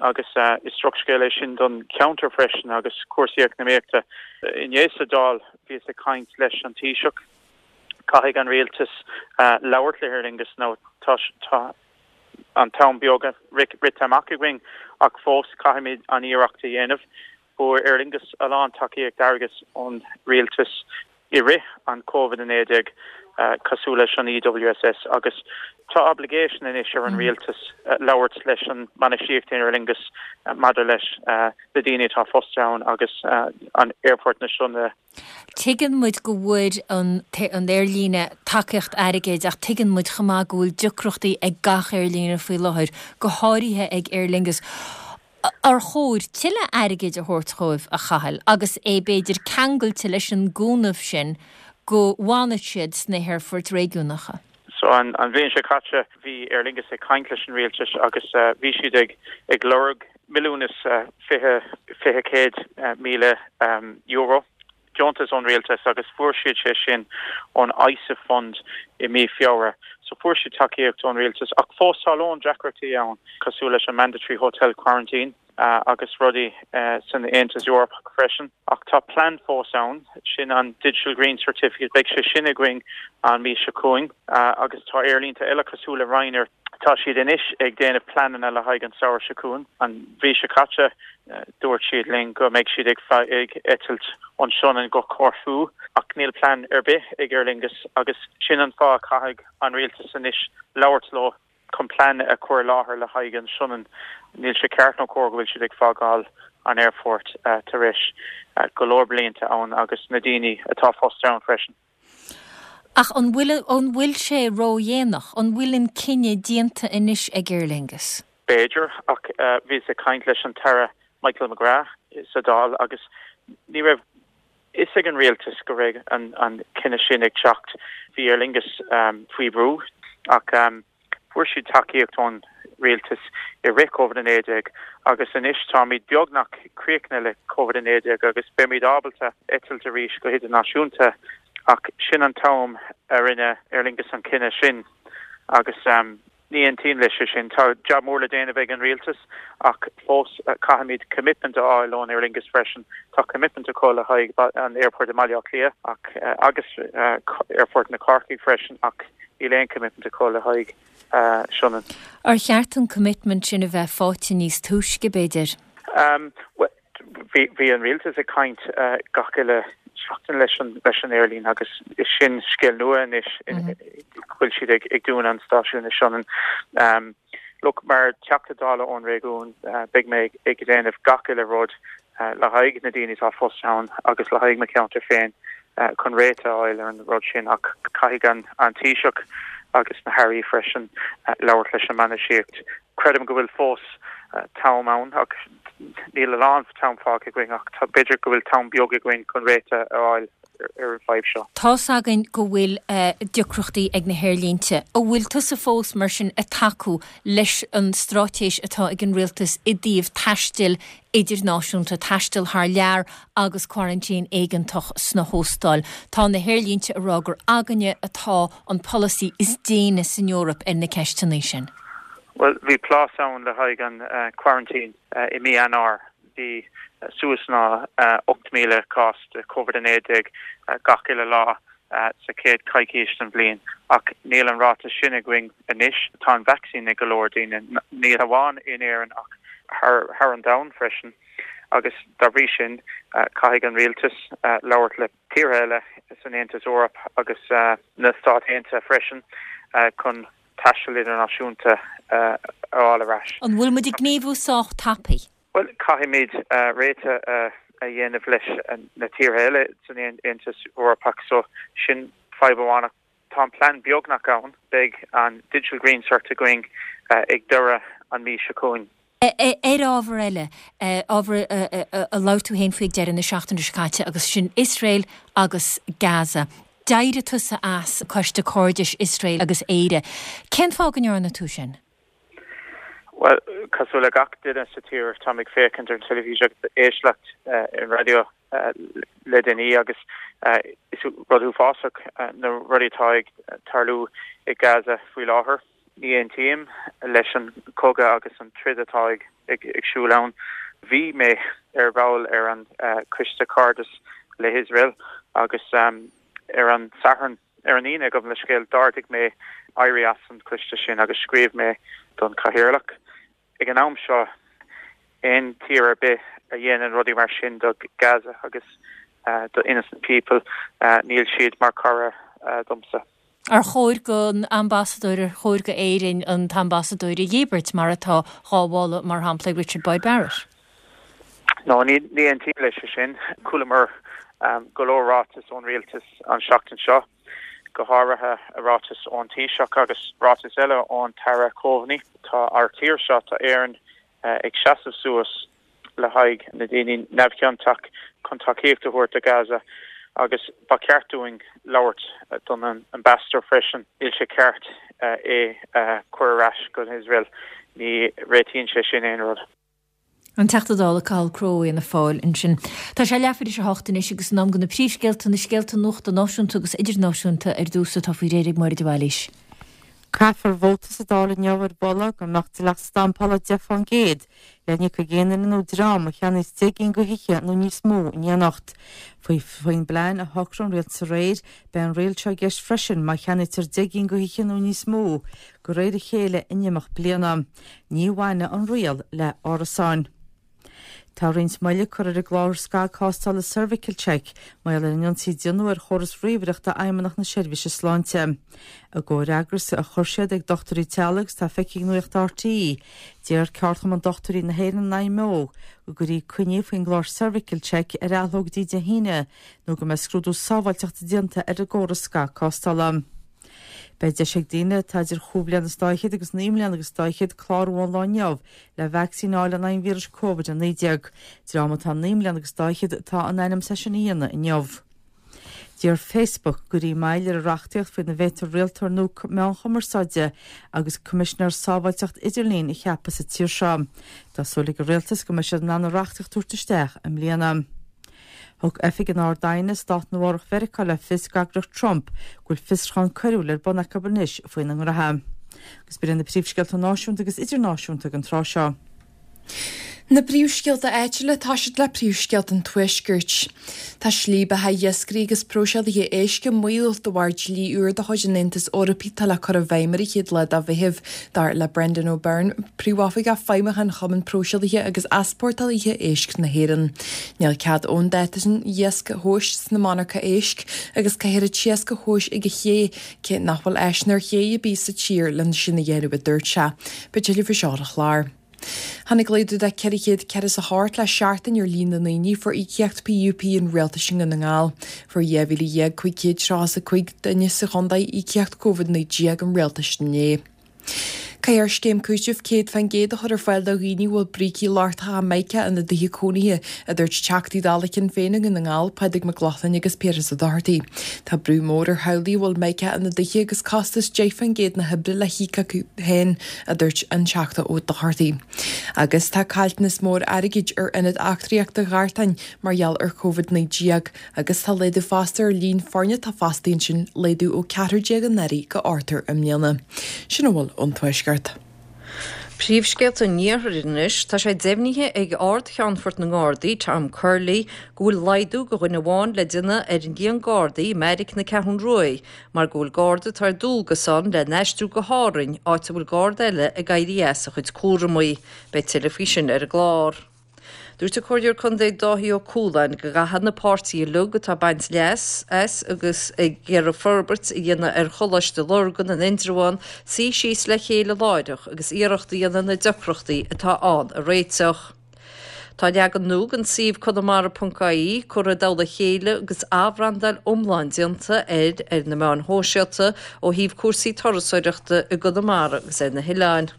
agus is drochscéal é sin don cheantar freisin agus cúrsaí eacnamaíochta. Inné sa Dáil bhíos ag caint leis an Taoiseach. Caithfidh an rialtas labhairt le hAer Lingus nó tá tá an t-am beag rite amach againn ach fós caithfimid an iarracht a dhéanamh. Fuair Aer Lingus a lán tacaíocht airgid ón rialtas i rith an Covid-19, cosúil leis an EWSS, agus tá obligation anois ar an rialtas labhairt leis an mbainistíocht in Aer Lingus maidir leis na daoine atá fostaithe ann agus an aerfort na Sionainne. Tuigeann muid go bhfuair an aerlíne tacaíocht airgid ach tuigeann muid chomh maith go bhfuil deacrachtaí ag gach aerlíne faoi láthair, go háirithe ag Aer Lingus. Ar chóir tuilleadh airgid a thabhairt dhóibh, a Chathail, agus é b'fhéidir ceangailte leis an gcúnamh sin go bhfanfaidh siad sna haerfoirt réigiúnacha? So an bhliain seo caite bhí Aer Lingus ag caint leis an rialtas agus bhí siad ag ag lorg €1,200,000. deontas ón rialtas agus fuair siad sé sin ón ISIF Fund i mí Feabhra. So fuair siad tacaíocht ón rialtas ach fós tá a lán deacrachtaí ann cosúil leis an mandatory hotel quarantine agus rudaí san Aontas Eorpach freisin. Ach tá plean fós ann, sin an Digital Green Certificate, beidh sé sin againn an mí seo chugainn agus tá aerlínte eile cosúil le Ryanair, tá siad anois ag déanamh pleananna le haghaidh an samhradh seo chugainn. An mhí seo caite Dúirt siad linn go mbeidh siad ag eitilt ón Sionainn go Corfu ach níl plean ar bith ag Aer Lingus agus sin an fáth a caithfidh an rialtas anois labhairt leo chun plean a chur i láthair le haghaidh an Sionainn. Níl sé ceart nó cóir go bhfuil siad ag fágáil an aerfoirt tar éis go leor blianta ann agus na daoine atá fostaithe ann freisin. Ach an bhfuil, an bhfuil sé ródhéanach? An bhfuil an cinneadh déanta anois ag Aer Lingus? B'fhéidir, ach bhíos ag caint leis an tAire Michael McGrath sa Dáil agus ní raibh fhios ag an rialtas go raibh an cinneadh sin ag teacht. Bhí Aer Lingus faoi bhrú ach Fuair siad tacaíocht ón rialtas i rith Covid-19 agus anois táimid beagnach críochnaithe le Covid-19 agus beimid ábalta eitilt arís go hidirnáisiúnta ach sin an t-am a rinne Aer Lingus an cinneadh sin agus ní aontaím leis sin. Tá jab mór le déanamh ag an rialtas ach fós caithfimid commitment a fháil ón Aer Lingus freisin. Tá commitment acu le haghaidh an airport i mBaile Átha Cliath ach agus aerfort na Corcaigh freisin ach Níl aon commitment acu le haghaidh Sionainn. Ar cheart an commitment sin a bheith faighte níos túisce, b'fhéidir? Bhuel, bhí an rialtas ag caint gach uile seachtain leis an leis an aerlíne agus is sin scéal nua anois go bhfuil siad ag dúnadh an stáisiún i Sionainn. Look, mar Teachta Dála ón réigiún, beidh mé ag déanamh gach uile rud le haghaidh na daoine atá fostaithe ann agus le haghaidh mo cheantar féin chun réiteach a fháil ar an rud sin ach caithfidh an Taoiseach agus na hairí freisin labhairt leis an mbainistíocht. Creidim go bhfuil fós t-am ann ach níl a lán t-am fágtha againn ach b'fhéidir go bhfuil t-am beag againn chun réiteach a fháil ar an bhfadhb seo. Tá's againn go bhfuil deacrachtaí ag na haerlínte. An bhfuil tusa fós mar sin ag tacú leis an straitéis atá ag an rialtas i dtaobh taistil idirnáisiúnta, taisteal thar lear agus coraintín éigeantach sna hóstáil. Tá na haerlínte ag rá gur againne atá an polasaí is déine san Eoraip ar na ceisteanna sin. Bhuel, bhí plás ann le haghaidh an quarantine i mí Eanáir. Bhí suas ná 8,000 cás de Covid-19 gach uile lá sa chéad choicís den bhliain ach níl an ráta sin againn anois. Tá an vacsaín ag go leor daoine, ní hamháin in Éirinn ach thar an domhan freisin agus dá bhrí sin caithfidh an rialtas labhairt le tíortha eile san Aontas Eorpach agus na Stáit Aontaithe freisin chun taisteal idirnáisiúnta a fháil ar ais. An bhfuil muid ag gníomhú sách tapaidh? Bhuel, caithfimid réiteach a dhéanamh leis na tíortha eile san Aontas Eorpach, so sin fadhb amháin. Ach tá an plean beagnach ann. Beidh an Digital Green Cert againn ag deireadh an mhí seo chugainn. Ar ábhar eile, ábhar a labhair tú féin faoi ag deireadh na seachtaine seo caite agus sin Iosrael agus Gaza. D'éirigh tusa as Coiste Cairdis Iosrael agus Éire. Cén fáth go ndearna tú sin? Bhuel, cosúil le gach duine sa tír, táim ag féachaint ar an teilifís agus ag éisteacht ar an raidió le déanaí agus is rud uafásach na rudaí atá ag tarlú i Gaza faoi láthair. Ní aontaím leis an chogadh agus an troid atá ag siúl ann. Bhí mé ar bhall ar an Coiste Cairdis le hIosrael agus ar an Satharn, ar an Aoine, gabh mo leithscéal, d'ardaigh mé éirí as an choiste sin agus scríobh mé don Chathaoirleach. Ag an am seo, aon tír ar bith a dhéanann rudaí mar sin do Gaza agus do innocent people, níl siad mar cara domsa. Ar chóir don ambasadóir, ar chóir go Éirinn an t-ambasadóir a dhíbirt, mar atá dhá mholadh, mar shampla, ag Richard Boyd Barrett? No, ní aontaím leis sin. Chualamar go leor ráiteas ón rialtas an seachtain seo, go háirithe ráiteas ón Taoiseach agus ráiteas eile ón tAire Coveney. Tá ár tír seo, tá Éirinn ag seasamh suas le haghaidh na daoine neamhchiontach chun tacaíocht a thabhairt do Gaza agus ba cheart dúinn labhairt don ambassador freisin. Níl sé ceart é a chur ar ais go hIosrael. Ní réitíonn sé sin aon rud. An Teachta Dála Cathal Crowe Fhianna Fáil ansin. Tá sé leathuair tar éis a hocht anois agus in am do na príomhscéalta, na scéalta nuachta náisiúnta agus idirnáisiúnta ar dtús atá faoi réir ag Máire de Bhailís. Caithfear vóta sa Dáil inniu ar mholadh go mbeadh dleacht stampála 10% le n-íoc ag aon duine nó dream a cheannaíos 10 gcinn de thithe nó níos mó in éineacht. Faoi faoin bplean a shocraigh an rialtas aréir, beidh an riail seo i gceist freisin má cheannaítear 10 gcinn de thithe nó níos mó de réir a chéile in imeacht bliana. Ní bhainfidh an riail le árasáin. Tá roinnt moille curtha ar an gclár scagthástála Cervical Check mar gheall ar an ionsaí a déanadh ar chóras ríomhaireachta Fheidhmeannacht na Seirbhíse Sláinte. I gcomhfhreagras a chuir siad ag dochtúirí teaghlaigh agus atá feicthe ag Nuacht RTÉ, d'iarr Ceardchumann Dochtúirí na hÉireann an IMO go gcuirfí coinní faoin gclár Cervical Check ar athló go dtí Dé hAoine nó go mbeidh scrúdú sábháilteachta déanta ar an gcóras scagthástála. Beidh deis ag daoine atá idir chúig bhliana is dá fhichead agus naoi mbliana agus dá fhichead clárú ón lá inniu le vacsaín a fháil in aghaidh an víris Covid-19. Dream atá naoi mbliana agus dá fhichead atá in ainm is é sin a dhéanamh inniu. D'iarr Facebook go gcuirfí moill ar an reachtaíocht faoina bhféadfar rialtóir nua meán chumarsáide agus Coimisinéir Sábháilteacht Idirlín a cheapadh sa tír seo. Tá súil ag an rialtas go mbeidh siad in ann an reachtaíocht a thabhairt isteach i mbliana. Thug Oifig an Ard-Aighne i Stát Nua-Eabhrac Mheiriceá le fios d'eagraíocht Trump go bhfuil fiosrúchán coiriúil ar bun acu anois faoina ngnoithe. Agus b'in iad na príomhscéalta náisiúnta agus idirnáisiúnta ag an tráth seo. Na príomhscéalta áitiúla, tá siad le príomhscéalta an Tuaiscirt. Tá slí beatha iascairí agus próiseálaithe éisc i mbaol de bharr dlí úr de chuid an Aontais Eorpaigh atá le cur i bhfeidhm ar an chéad lá de Mheitheamh, dar le Brendan O'Byrne, Príomhoifigeach Feidhmiúcháin Chumann Próiseálaithe agus Easpórtálaithe Éisc na hÉireann. Níl cead ón dáta sin iasc a thomhas sna monarcha éisc agus caithfear an t-iasc a thomhas ag an ché, cé nach bhfuil áiseanna ar ché ar bith sa tír lena sin a dhéanamh, a dúirt sé. Beidh tuilleadh faoi seo ar an chlár. Tháinig laghdú de 448 le seachtain ar líon na ndaoine a fuair íocaíocht PUP an rialtais i nDún na nGall. Fuair 12,535 duine sa chontae íocaíocht Covid-19 an rialtais inné. Caithfear scéim cúitimh 100% a chur ar fáil do dhaoine a bhfuil brící lochtacha mica ina dtithe cónaithe, a dúirt Teachtaí Dála Shinn Féin i nDún na nGall, Pádraig Mac Lochlainn agus Piaras Ó Dochartaigh. Tá brú mór ar theaghlaigh a bhfuil mica ina dtithe agus costas 10% na hoibre le híoc acu féin, a dúirt an Teachta Ó Dochartaigh. Agus tá caillteanas mór airgid ar Ionad Eachtraíochta Ghartáin mar gheall ar Covid-19 agus tá laghdú fosta ar líon foirne atá fostaithe ansin, laghdú ó 14 anuraidh go ochtar i mbliana. Sin a bhfuil ón Tuaisceart. Príomhscéalta an Iarthair anois, tá sé deimhnithe ag Ard-Cheannfort na nGardaí, Tom Curley, go bhfuil laghdú de dhuine amháin le déanamh ar an líon Gardaí i mbeairic na Ceathrún Ruaidh mar go bhfuil Garda atá ar dualgas ann le n-aistriú go hÁrainn, áit a bhfuil Garda eile ag éirí as a chuid cúramaí. Beidh tuilleadh faoi sin ar an gclár. Dúirt an Comhairleoir Contae Dáithí Ó Cualáin go gcaithfidh na páirtithe uilig atá ag baint leas as agus ag iarraidh forbairt a dhéanamh ar Choláiste Lurgan in Indreabhán suí síos le chéile láithreach agus iarracht a dhéanamh na deacrachtaí atá ann a réiteach. Tá leagan nua den suíomh conamara.ie curtha i dtoll a chéile agus athbhrandáil iomlán déanta air ar na meáin shóisialta ó thaobh cúrsaí turasóireachta i gConamara agus ar na hoileáin.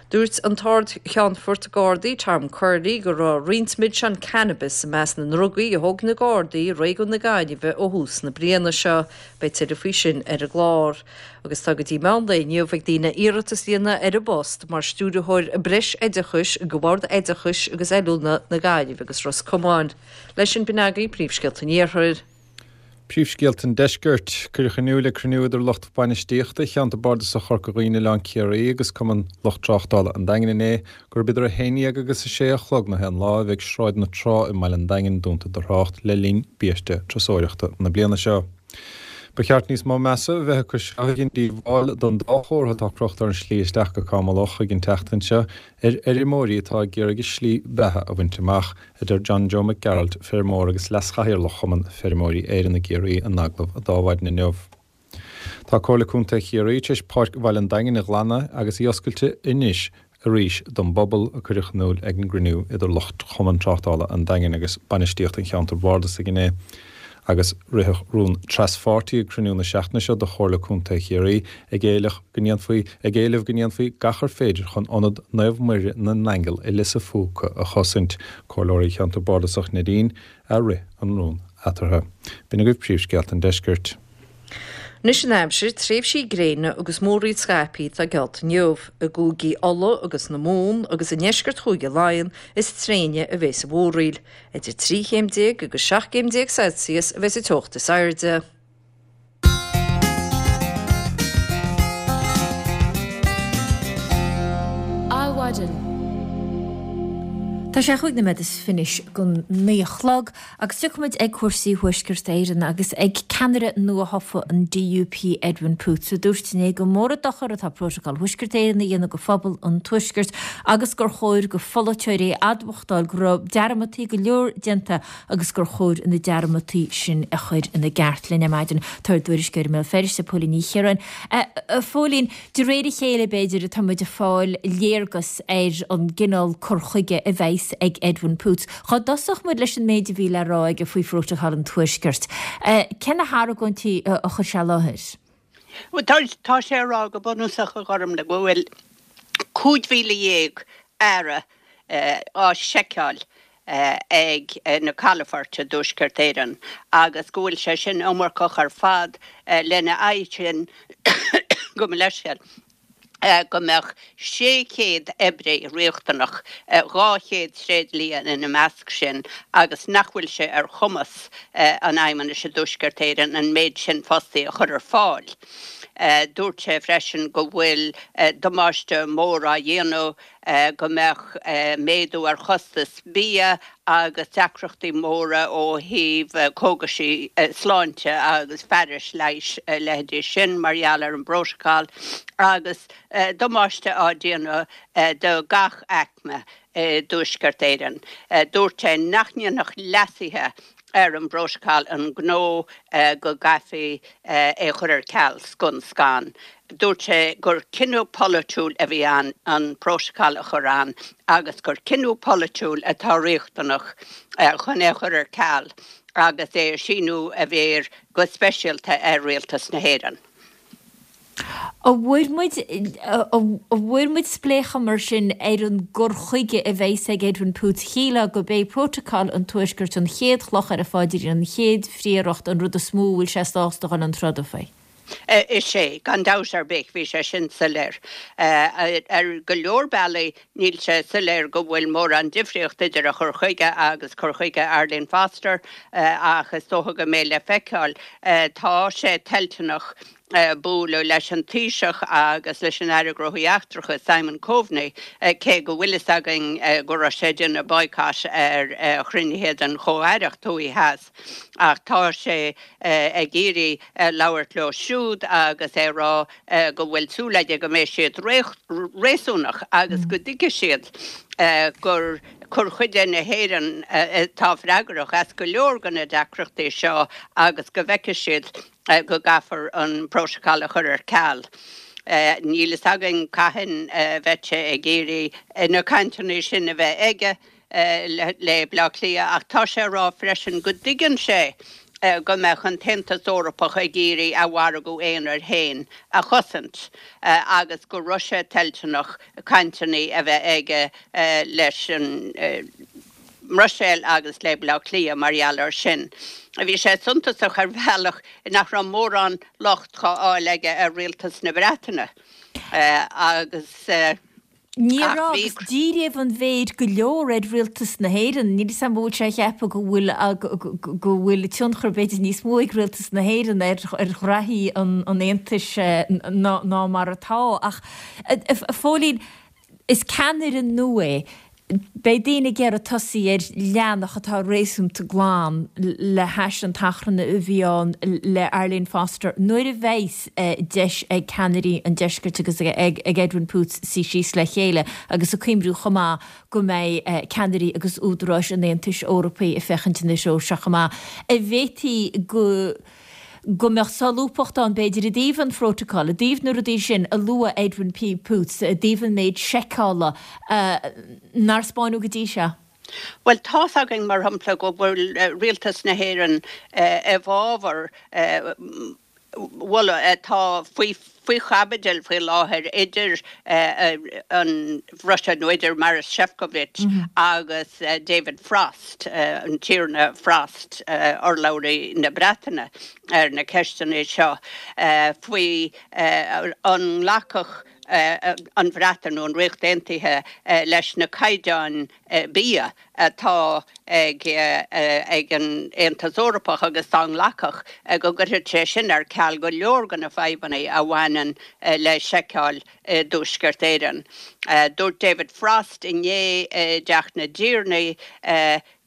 Dúirt an tArd-Cheannfort Gardaí Tom Curley go raibh roinnt milseán cannabis i measc na ndrugaí a thóg na Gardaí i réigiún na Gaillimhe ó thús na bliana seo. Beidh tuilleadh faoi sin ar an gclár. Agus tá go dtí meán lae inniu ag daoine iarratas a dhéanamh ar an bpost mar Stiúrthóir Breisoideachais do Bhord Oideachais agus Oiliúna na Gaillimhe agus Ros Comáin. Leis sin b'in agaibh príomhscéalta an Iarthair. Príomhscéalta an Deiscirt. Cuireadh in iúl ag cruinniú idir lucht bainistíochta Cheantar Bardasach Chorca Dhuibhne Oileán Ciarraí agus Cumann Lucht Tráchtála an Daingin inné gurb idir 11 agus 6 a chlog na haon lá a bheidh Sráid na Trá i mbaile an Daingin dúnta do thrácht le linn biaiste turasóireachta na bliana seo. Ba cheart níos mó measa a bheith acu seo a dhein díobháil don dá chomhartha atá crochta ar an slí isteach go Cam an Locha an tseachtain seo ar fheirmeoirí atá ag iarraidh a slí bheatha a bhaint amach. a deir John Joe Mac Gearailt, feirmeoir agus leas-chathaoirleach Chumann Feirmeoirí Éireann i gCiarraí in agallamh Adhmhaidin inniu. Tá Comhairle Contae Chiarraí tar éis Páirc Bhaile an Daingin a ghlanadh agus í oscailte anois arís don bpobal, a cuireadh in iúl ag an gcruinniú idir lucht Chumann Tráchtála an Daingin agus bainistíocht an cheantair bhardasaigh inné. Agus ritheadh rún traspháirtí ag cruinniú na seachtaine seo de Chomhairle Contae Chiarraí ag éileamh go ndéanfaí ag éileamh go ndéanfaí gach ar féidir chun Ionad Naomh Muire na nAingeal i Lios a' Phúca a chosaint. Comhairleoirí Cheantar Bardasach Neidín a rith an rún eatarthu. B'in agaibh príomhscéalta an deiscirt. Anois an aimsir, tréimhsí gréine agus múraíl scaipthe atá geallta inniu. I gcúigí Uladh agus na Mumhan agus i ndeisceart Chúige Laighean is tréine a bheas an mhúraíl. Idir 13 chéim agus 17 gcéim Celsius a bheas an teocht is airde. Adhmhaidin. Tá sé chúig nóiméad is fiche don naoi a chlog agus tiocfaimid ag cúrsaí Thuaisceart Éireann agus ag ceannaire nua-thofa an DUP Edwin Poots a dúirt inné gur mór an dochar atá Prótacal Thuaisceart Éireann a dhéanamh do phobal an Tuaiscirt agus gur chóir do pholaiteoirí a admhachtáil go raibh dearmadtaí go leor déanta agus gur chóir na dearmadtaí sin a chur ina gceart. Linn ar maidin tá ár dtuairisceoir i mBéal Feirste, Póilín Ní Chiaráin. A Phóilín, de réir a chéile b'fhéidir atá muid ag fáil léargas ar an gcineál cur chuige a bheas ag Edwin Poots. Dhá dtosódh muid leis an méid a bhí le rá aige faoi Phrótacal an Tuaiscirt, cé na hargóintí a chuir sé i láthair? Bhuel, tá sé ag rá go bunúsach, a Ghormlaith, go bhfuil 15,000 earra á seiceáil ag na calafoirt i dTuaisceart Éireann agus go bhfuil sé sin iomarcach ar fad. Lena aghaidh sin, gabh mo leithscéal, go mbeadh 600 oibrí riachtanach, 200 tréidlia ina measc sin, agus nach bhfuil sé ar chumas an Fheidhmeannais i dTuaisceart Éireann an méid sin fostaí a chur ar fáil. Dúirt sé freisin go bhfuil damáiste mór á dhéanamh, go mbeadh méadú ar chostas bia agus deacrachtaí móra ó thaobh cógaisí sláinte agus fearais leighis a leithéidí sin mar gheall ar an bprótacal agus damáiste á déanamh do gach aicme i dTuaisceart Éireann. Dúirt sé nach ndéanfadh leasuithe ar an bprótacal an gnó go gcaithfí é a chur ar ceal scun scan. Dúirt sé gur cinneadh polaitiúil a bhí ann an prótacal a chur ann agus gur cinneadh polaitiúil atá riachtanach chun é a chur ar ceal agus é a síniú a mhéar go speisialta ar Rialtas na hÉireann. An bhfuair muid, an bhfuair muid spléachadh mar sin ar an gcur chuige a bheas ag Edwin Poots? Shílfeá gurb é Prótacal an Tuaiscirt an chéad chloch ar a phaidrín, an chéad phríoracht, an rud is mó a bhfuil sé sásta dhul chun troda faoi. Is ea, gan dabht ar bith, bhí sé sin soiléir. Ar go leor bealaí, níl sé soiléir go bhfuil mórán difríocht idir a chur chuige agus cur chuige Arlene Foster, ach is dócha go mbeidh le feiceáil. Tá sé toilteanach bualadh leis an Taoiseach agus leis an Aire Gnóthaí Eachtracha, Simon Coveney, cé go bhfuil fhios againn go raibh sé ag déanamh boycott ar chruinnithe den Chomh-Aireacht Thuaidh Theas. Ach tá sé ag iarraidh labhairt leo siúd agus é a rá go bhfuil súil aige go mbeidh siad réasúnach agus go dtuigfidh siad gur cur chuige na hÉireann atá freagrach as go leor de na deacrachtaí seo agus go bhfeicfidh siad go gcaithfear an prótacal a chur ar ceal. Níl fhios againn cathain a bheidh sé ag iarraidh na cainteanna sin a bheith aige. le Baile Átha Cliath ach tá sé ag rá freisin go dtuigeann sé. go mbeadh an tAontas Eorpach ag iarraidh a mhargadh aonair féin a chosaint agus go raibh sé toilteanach cainteanna a bheith aige leis an mBruiséil agus le Baile Átha Cliath mar gheall air sin. Bhí sé suntasach ar bhealach nach raibh mórán locht dhá fháil aige ar rialtas na Breataine agus. Ní raibh, agus díríodh an mhéir go leor ar rialtas na hÉireann. Níl 'fhios a'm an bhfuil sé a cheapadh go bhfuil go bhfuil tionchar b'fhéidir níos mó ag rialtas na hÉireann ar ghraithí an Aontais ná mar atá. Ach, a Phóilín, is ceannaire nua é. Beidh daoine ag iarraidh tosaí ar leathanach atá réasúnta glan le hais an t-achrann a bhí ann le Arlene Foster nuair a bheas deis ag ceannairí an deiscirt agus ag Edwin Poots suí síos le chéile agus ag cuimriú chomh maith go mbeidh ceannairí agus údaráis an Aontais Eorpaigh ag féachaint ina threo seo chomh maith. An bhféadfaí go go mbeadh solúbthacht ann, b'fhéidir, i dtaobh an phrótacail, i dtaobh na rudaí sin a luaigh Edwin P. Poots, i dtaobh an méid seiceála nár 'spáineadh go dtí seo. Bhuel, tá's againn, mar shampla, go bhfuil Rialtas na hÉireann i bhfabhar mholadh atá faoi faoi chaibidil faoi láthair idir an Bhruiséil, nó idir Maros Sefcovic agus David Frost, an Tiarna Frost, urlabhraí na Breataine ar na ceisteanna seo, faoi an nglacfadh an Bhreatain nó an Ríocht Aontaithe leis na caighdeáin bia atá ag an Aontas Eorpach agus dá nglacfadh, go gcuirfeadh sé sin ar ceal go leor de na fadhbanna a bhaineann le seiceáil i dTuaisceart Éireann. Dúirt David Frost inné i dTeach na dTiarnaí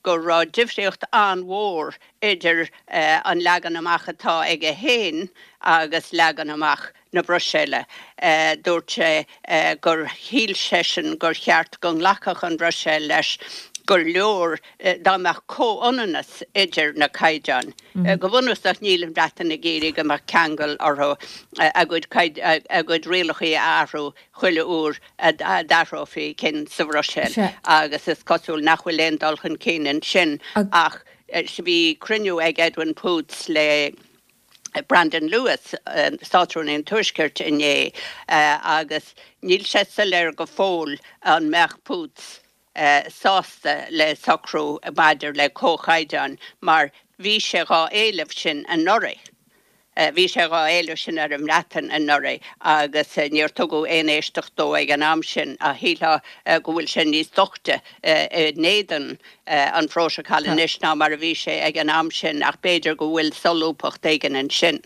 go raibh difríocht an-mhór idir an leagan amach atá aige féin agus leagan amach na Bruiséile. Dúirt sé gur shíl seisean gur cheart go nglacfadh an Bhruiséil leis gur leor dá mbeadh comhionannas idir na caighdeáin. Go bunúsach níl an Bhreatain ag iarraidh go mbeadh ceangal orthu a gcuid rialacha a athrú chuile uair a d'athrófaí cinn sa Bhruiséil agus is cosúil nach bhfuil aon dul chun cinn ansin ach bhí cruinniú ag Edwin Poots le Brandon Lewis, Státrúnaí an Tuaiscirt, inné agus níl sé soiléir go fóill an mbeadh Poots sásta le socrú maidir le comhchaighdeáin mar bhí sé dhá éileamh sin anuraidh. Bhí sé dhá éileamh sin ar an mBreatain anuraidh agus níor tugadh aon éisteacht dó ag an am sin ach shílfeá go bhfuil sé níos doichte in éadan an phrótacail anois ná mar a bhí sé ag an am sin ach b'fhéidir go bhfuil solúbthacht éigin ansin.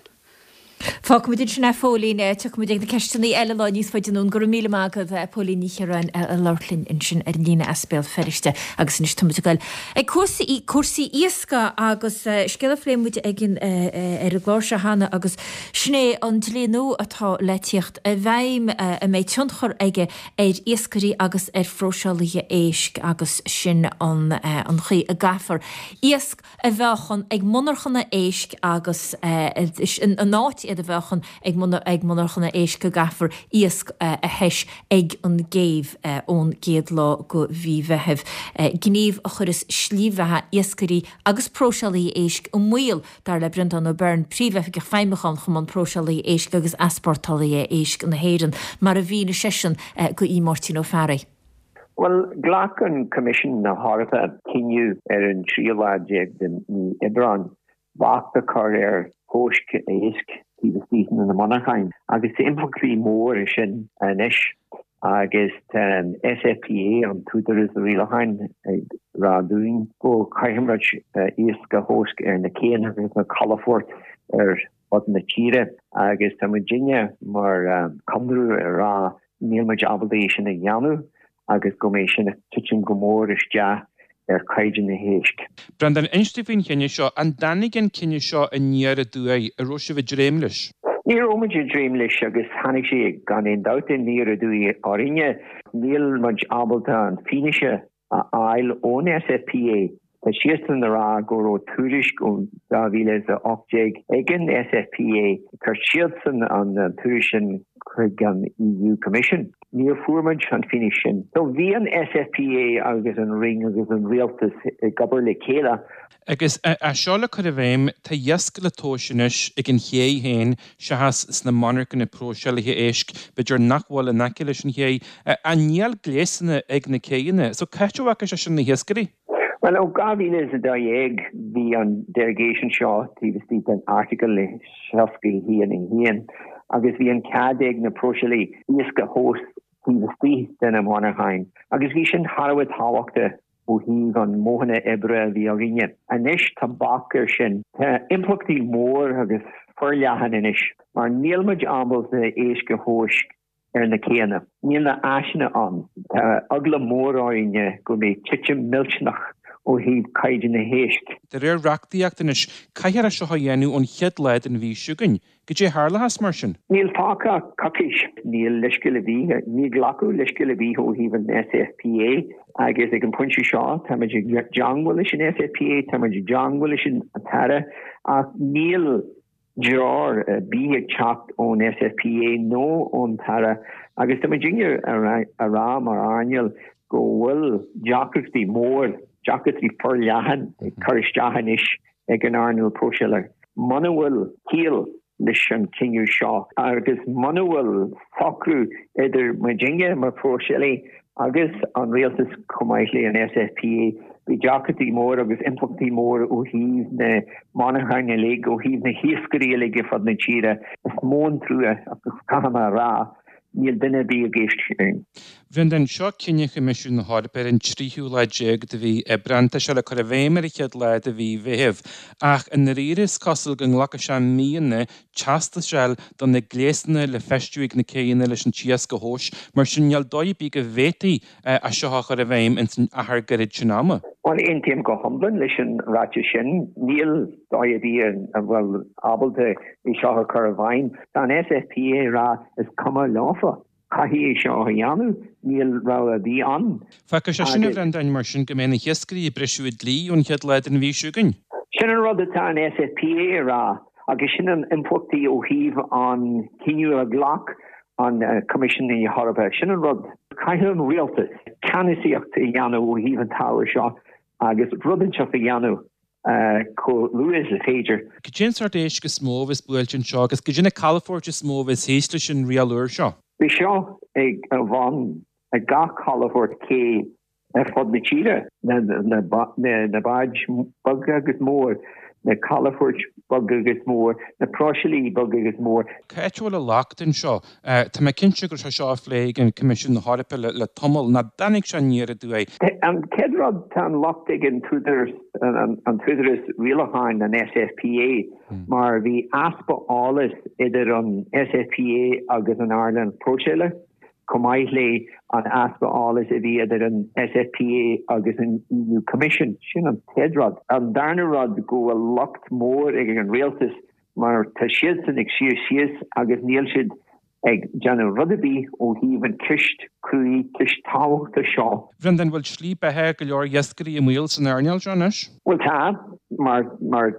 Fágfaimid ansin é, a Phóilín. Tiocfaimid ag na ceisteanna eile lá níos faide anonn. Go raibh míle maith agat, a Phóilín Ní Chiaráin, ag labhairt linn ansin ar an líne as Béal Feirste. Agus anois táimid ag dul ag cúrsaí, cúrsaí iascaigh agus scéal a phléigh muid ag an, ar an gclár seo cheana agus sin é an dlí nua atá le tíocht i bhfeidhm a mbeidh tionchar aige ar iascairí agus ar phróiseálaithe éisc agus sin an an chaoi a gcaithfear iasc a mheáchan ag monarchana éisc agus in áit iad a mheáchan ag ag monarchana éisc go gcaithfear iasc a thomhas ag an gcéibh ón gcéad lá de mhí Mheithimh. Gníomh a chuirfeas slí bheatha iascairí agus próiseálaithe éisc i mbaol Dar le Breandán Ó Beirn, Príomhoifigeach Feidhmiúcháin Chumann Próiseálaithe Éisc agus Easpórtálaithe Éisc na hÉireann, mar a mhínigh seisean do Aodh Máirtín Ó Fearraigh. Bhuel, ghlac an Coimisiún na hEorpa cinneadh ar an tríú lá déag de mhí Aibreáin bac a chur ar thomhas éisc taobh istigh de na monarcháin agus tá impleachtaí mór air sin anois. Agus tá an SFPA, an t-údarás rialacháin, ag rá dúinn go gcaithfidh muid iasc a thomhas ar na céanna agus na calafoirt ar fud na tíre. Agus tá muidinne mar chonradh ag rá níl muid ábalta é sin a dhéanamh agus go mbeidh sin ag titim go mór isteach ar chaighdeán na héisc. Breandán, inis dúinn faoin chinneadh seo. An dtáinig an cinneadh seo aniar aduaidh? An raibh sibh ag dréim leis? Ní raibh muid ag dréim leis agus tháinig sé gan aon dabht aniar aduaidh orainne. Níl muid ábalta an fianaise a fháil ón SFPA. Tá siadsan ag rá go raibh tuairisc ó 2018 ag an SFPA. Chuir siadsan an tuairisc sin chuig an EU Commission. Níor fuair muid an fianaise sin. So bhí an SFPA agus an Roinn agus an Rialtas ag obair le chéile. Agus é seo le cur i bhfeidhm, tá iasc le tomhas anois ag an ché féin seachas sna monarchana próiseálaithe éisc, b'fhéidir nach bhfuil in aice leis an ché. Ach níl gléasanna ag na céidheanna, so cá háit a bhfaca sé sin na hiascairí? Bhuel, ó 2012 bhí an derogation seo taobh istigh den Airteagal 61 1 agus bhí an cead ag na próiseálaí iasc a thomhas taobh istigh de na monarcháin agus bhí sin thar a bheith tábhachtach ó thaobh an modhanna oibre a bhí againne. Anois tá bac air sin. Tá impleachtaí mór agus forleathan anois mar níl muid ábalta éisc a thomhas ar na céanna. Níl na áiseanna ann. Tá eagla mór orainne go mbeidh titim millteanach ó thaobh caighdeán na héisc. De réir reachtaíocht anois, caithfear é seo a dhéanamh ón chéad lá den mhí seo chugainn. Goidé a tharlóchas mar sin? Níl fágtha ach coicís. Níl leithscéal ar bith, níor glacadh leithscéal ar bith ó thaobh an SFPA agus ag an bpointe seo táimid i dteangmháil leis an SFPA, táimid i dteangmháil leis an tAire ach níl treoir ar bith ag teacht ón SFPA nó ón tAire agus tá muidinne a rá mar earnáil go bhfuil deacrachtaí mór, deacrachtaí forleathan ag cur isteach anois ag an earnáil próiseála. Muna bhfuil ciall leis an cinneadh seo agus muna bhfuil socrú idir muidinne mar phróiseálaí agus an rialtas chomh maith le an SFPA, bhí deacrachtaí mór agus impleachtaí mór ó thaobh na monarchan uilig, ó thaobh na hiascairí uilig ar fud na tíre. Is mó an trua agus caithfidh mé a rá, níl duine ar bith ag éisteacht linn. Bhreandáin, seo cinneadh Choimisiún na hEorpa ar an tríú lá déag de mhí Aibreán. Tá sé le cur i bhfeidhm ar an chéad lá de mhí Mheithimh. Ach i ndáiríre is cosúil go nglacfaidh sé míonna teastas a fháil do na gléasanna le feistiú ag na céidheanna leis an t-iasc a thomhas, mar sin níl dóigh ar bith go bhféadfaí é seo a chur i bhfeidhm ins an achar gairid sin ama. Bhuel, aontaím go hiomlán leis an ráiteas sin. Níl dóigh ar bith a bhfuil ábalta é seo a chur i bhfeidhm. Tá an SFPA ag rá is cuma leofa. Caithfidh é seo a dhéanamh, níl rogha ar bith ann. Fágfaidh sé sin, a Bhreandáin, mar sin, go mbeidh na hiascairí ag briseadh an dlí ón chéad lá den mhí seo chugainn. Sin an rud atá an SFPA a rá agus sin an impleachtaí ó thaobh an cinneadh a ghlac an Coimisiún na hEorpa. Sin an rud. Caithfidh an rialtas ceannasaíocht a dhéanamh ó thaobh an t-ábhar seo agus rud inteacht a dhéanamh chomh luath is is féidir. Cad é an sórt éisc is mó a bheas buailte anseo agus cad é na calafoirt is mó a bheas thíos leis an riail úr seo? Beidh seo ag a bhun ag gach calafort cé ar fud na tíre, na báid beaga agus mór, na calafoirt beaga agus mór, na próiseálaí beaga agus mór. Cá háit a bhfuil an locht anseo? Tá mé cinnte go raibh sé seo á phlé ag an Coimisiún na hEorpa le tamall, nach dtáinig sé aniar aduaidh. An chéad rud, tá an locht ag an t-údarás rialacháin, an SFPA, mar bhí easpa eolais idir an SFPA agus an earnáil próiseála, chomh maith le an easpa eolais a bhí idir an SFPA agus an EU Commission. Sin an chéad rud. An darna rud, go bhfuil locht mór ag an rialtas mar tá siadsan ag suí síos agus níl siad ag déanamh rud ar bith ó thaobh an ceist cruaidh, ceist tábhachtach seo. Bhreandáin, bhfuil slí beatha go leor iascairí i mbaol san earnáil seo anois? Bhuel tá, mar, mar,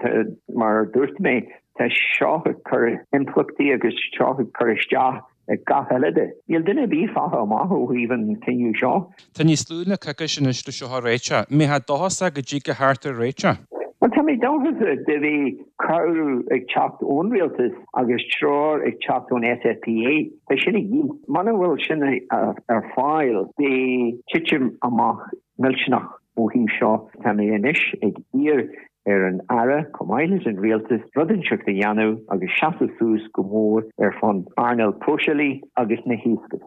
mar a dúirt mé, tá seo ag cur impleachtaí agus seo ag cur isteach ar gach eile de. Níl duine ar bith fágtha amach ó thaobh an cinneadh seo. Tá níos lú ná coicís anois le seo a réiteach. Mbeifeá dóchasach go dtiocfaidh thart ar réiteach? Bhuel, tá mé dóchasach de bheith cabhrú ag teacht ón rialtas agus treoir ag teacht ón SFPA. Tá sin a dhíth. Muna bhfuil sin ar fáil, beidh titim amach millteanach ó thaobh seo. Tá mé anois ag iarr ar an Aire, chomh maith leis an Rialtas, rud inteacht a dhéanamh agus seasamh suas go mór ar son earnáil próiseálaí agus na hiascairí.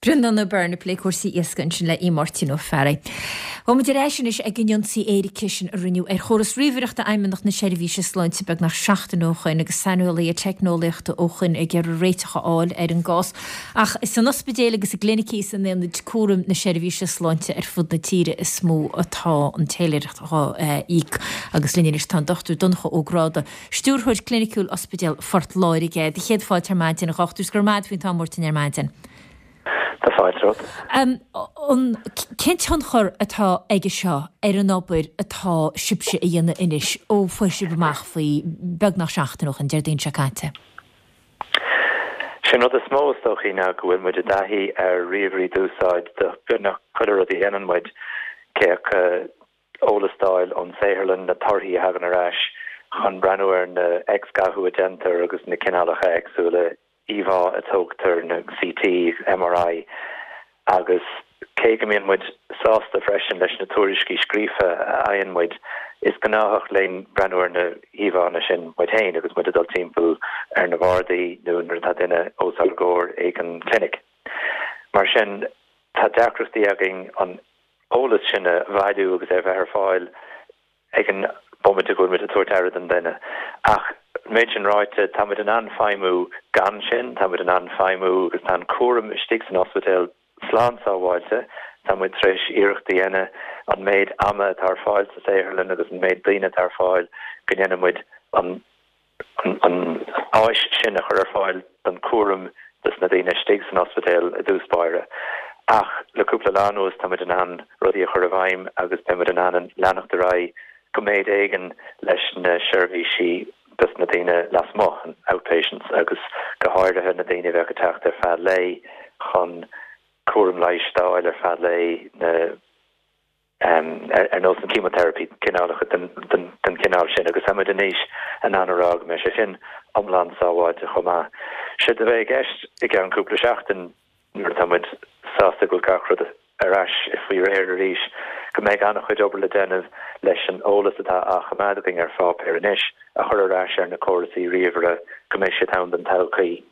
Breandán Ó Beirn ag plé cúrsaí iascaigh ansin le Aodh Máirtín Ó Fearraigh. Gabhfaidh muid ar ais anois ag an ionsaí éirice sin a rinneadh ar chóras ríomhaireachta Fheidhmeannacht na Seirbhíse Sláinte beagnach seachtain ó shoin agus saineolaithe teicneolaíochta ó shoin ag iarraidh réiteach a fháil ar an gcás. Ach is san ospidéil agus i gclinicí is in aonaid cúraim na seirbhíse sláinte ar fud na tíre is mó atá an téiléireacht dhá íoc. Agus linn anois tá an Dr Donncha Ó Gráda, Stiúrthóir Cliniciúil Ospidéal Phort Láirge. Do chéad fáilte ar maidin, a dhochtúir, 's go raibh maith agat faoin t-am a thabhairt dúinn ar maidin. Tá fáilte romhat. An, cén tionchar atá aige seo ar an obair atá sibhse a dhéanamh anois ó fuair sibh amach faoi beagnach seachtain ó shin, Déardaoin seo caite? Sé an rud is mó is dóichí ná go bhfuil muid i dtaithí ar ríomhairí d'úsáid do beagnach chuile rud a dhéanann muid, cé acu eolas d'fháil ón saotharlann, na torthaí a thagann ar ais, chun breathnú ar na X-ghathú a déantar agus na cineálacha éagsúla íomhá a tógtar, na CT, MRI, agus cé go mbíonn muid sásta freisin leis na tuairiscí scríofa a fhaigheann muid, is gnáthach linn breathnú ar na híomhánna sin muid féin agus muid ag dul timpeall ar na bardaí nó nuair atá duine os ár gcomhair ag an gclinic. Mar sin, tá deacrachtaí againn an eolas sin a bhailiú agus é a bheith ar fáil ag an bomaite go bhfuil muid ag tabhairt aire don duine. Ach an méid sin ráite, tá muid in ann feidhmiú gan sin, tá muid in ann feidhmiú agus tá an cúram istigh san ospidéal slán sábháilte. Tá muid tar éis iarracht a dhéanamh an méid ama atá ar fáil sa saotharlann agus an méid daoine atá ar fáil go ndéanfaidh muid an an áis sin a chur ar fáil don chúram dos na daoine istigh san ospidéal i dtús báire. Ach le cúpla lá anuas tá muid in ann rudaí a chur i bhfeidhm agus beidh muid in ann leanacht ar aghaidh go méid éigin leis na seirbhísí dos na daoine lasmuigh, an outpatients, agus go háirithe na daoine a bheadh ag teacht ar feadh lae chun cúram leighis d'fháil ar feadh lae, na. ar nós an chemotherapy, cineálacha den chineál sin, agus tá muid anois in ann a rá go mbeidh sé sin iomlán sábháilte chomh maith. Séard a bheidh i gceist i gceann cúpla seachtain, nuair atá muid sásta go bhfuil gach rud ar ais faoi réir arís, go mbeidh an-chuid obair le déanamh leis an eolas atá á choimeád againn ar pháipéar anois a chur ar ais ar na córasaí ríomhaire go mbeidh siad ann don todhchaí.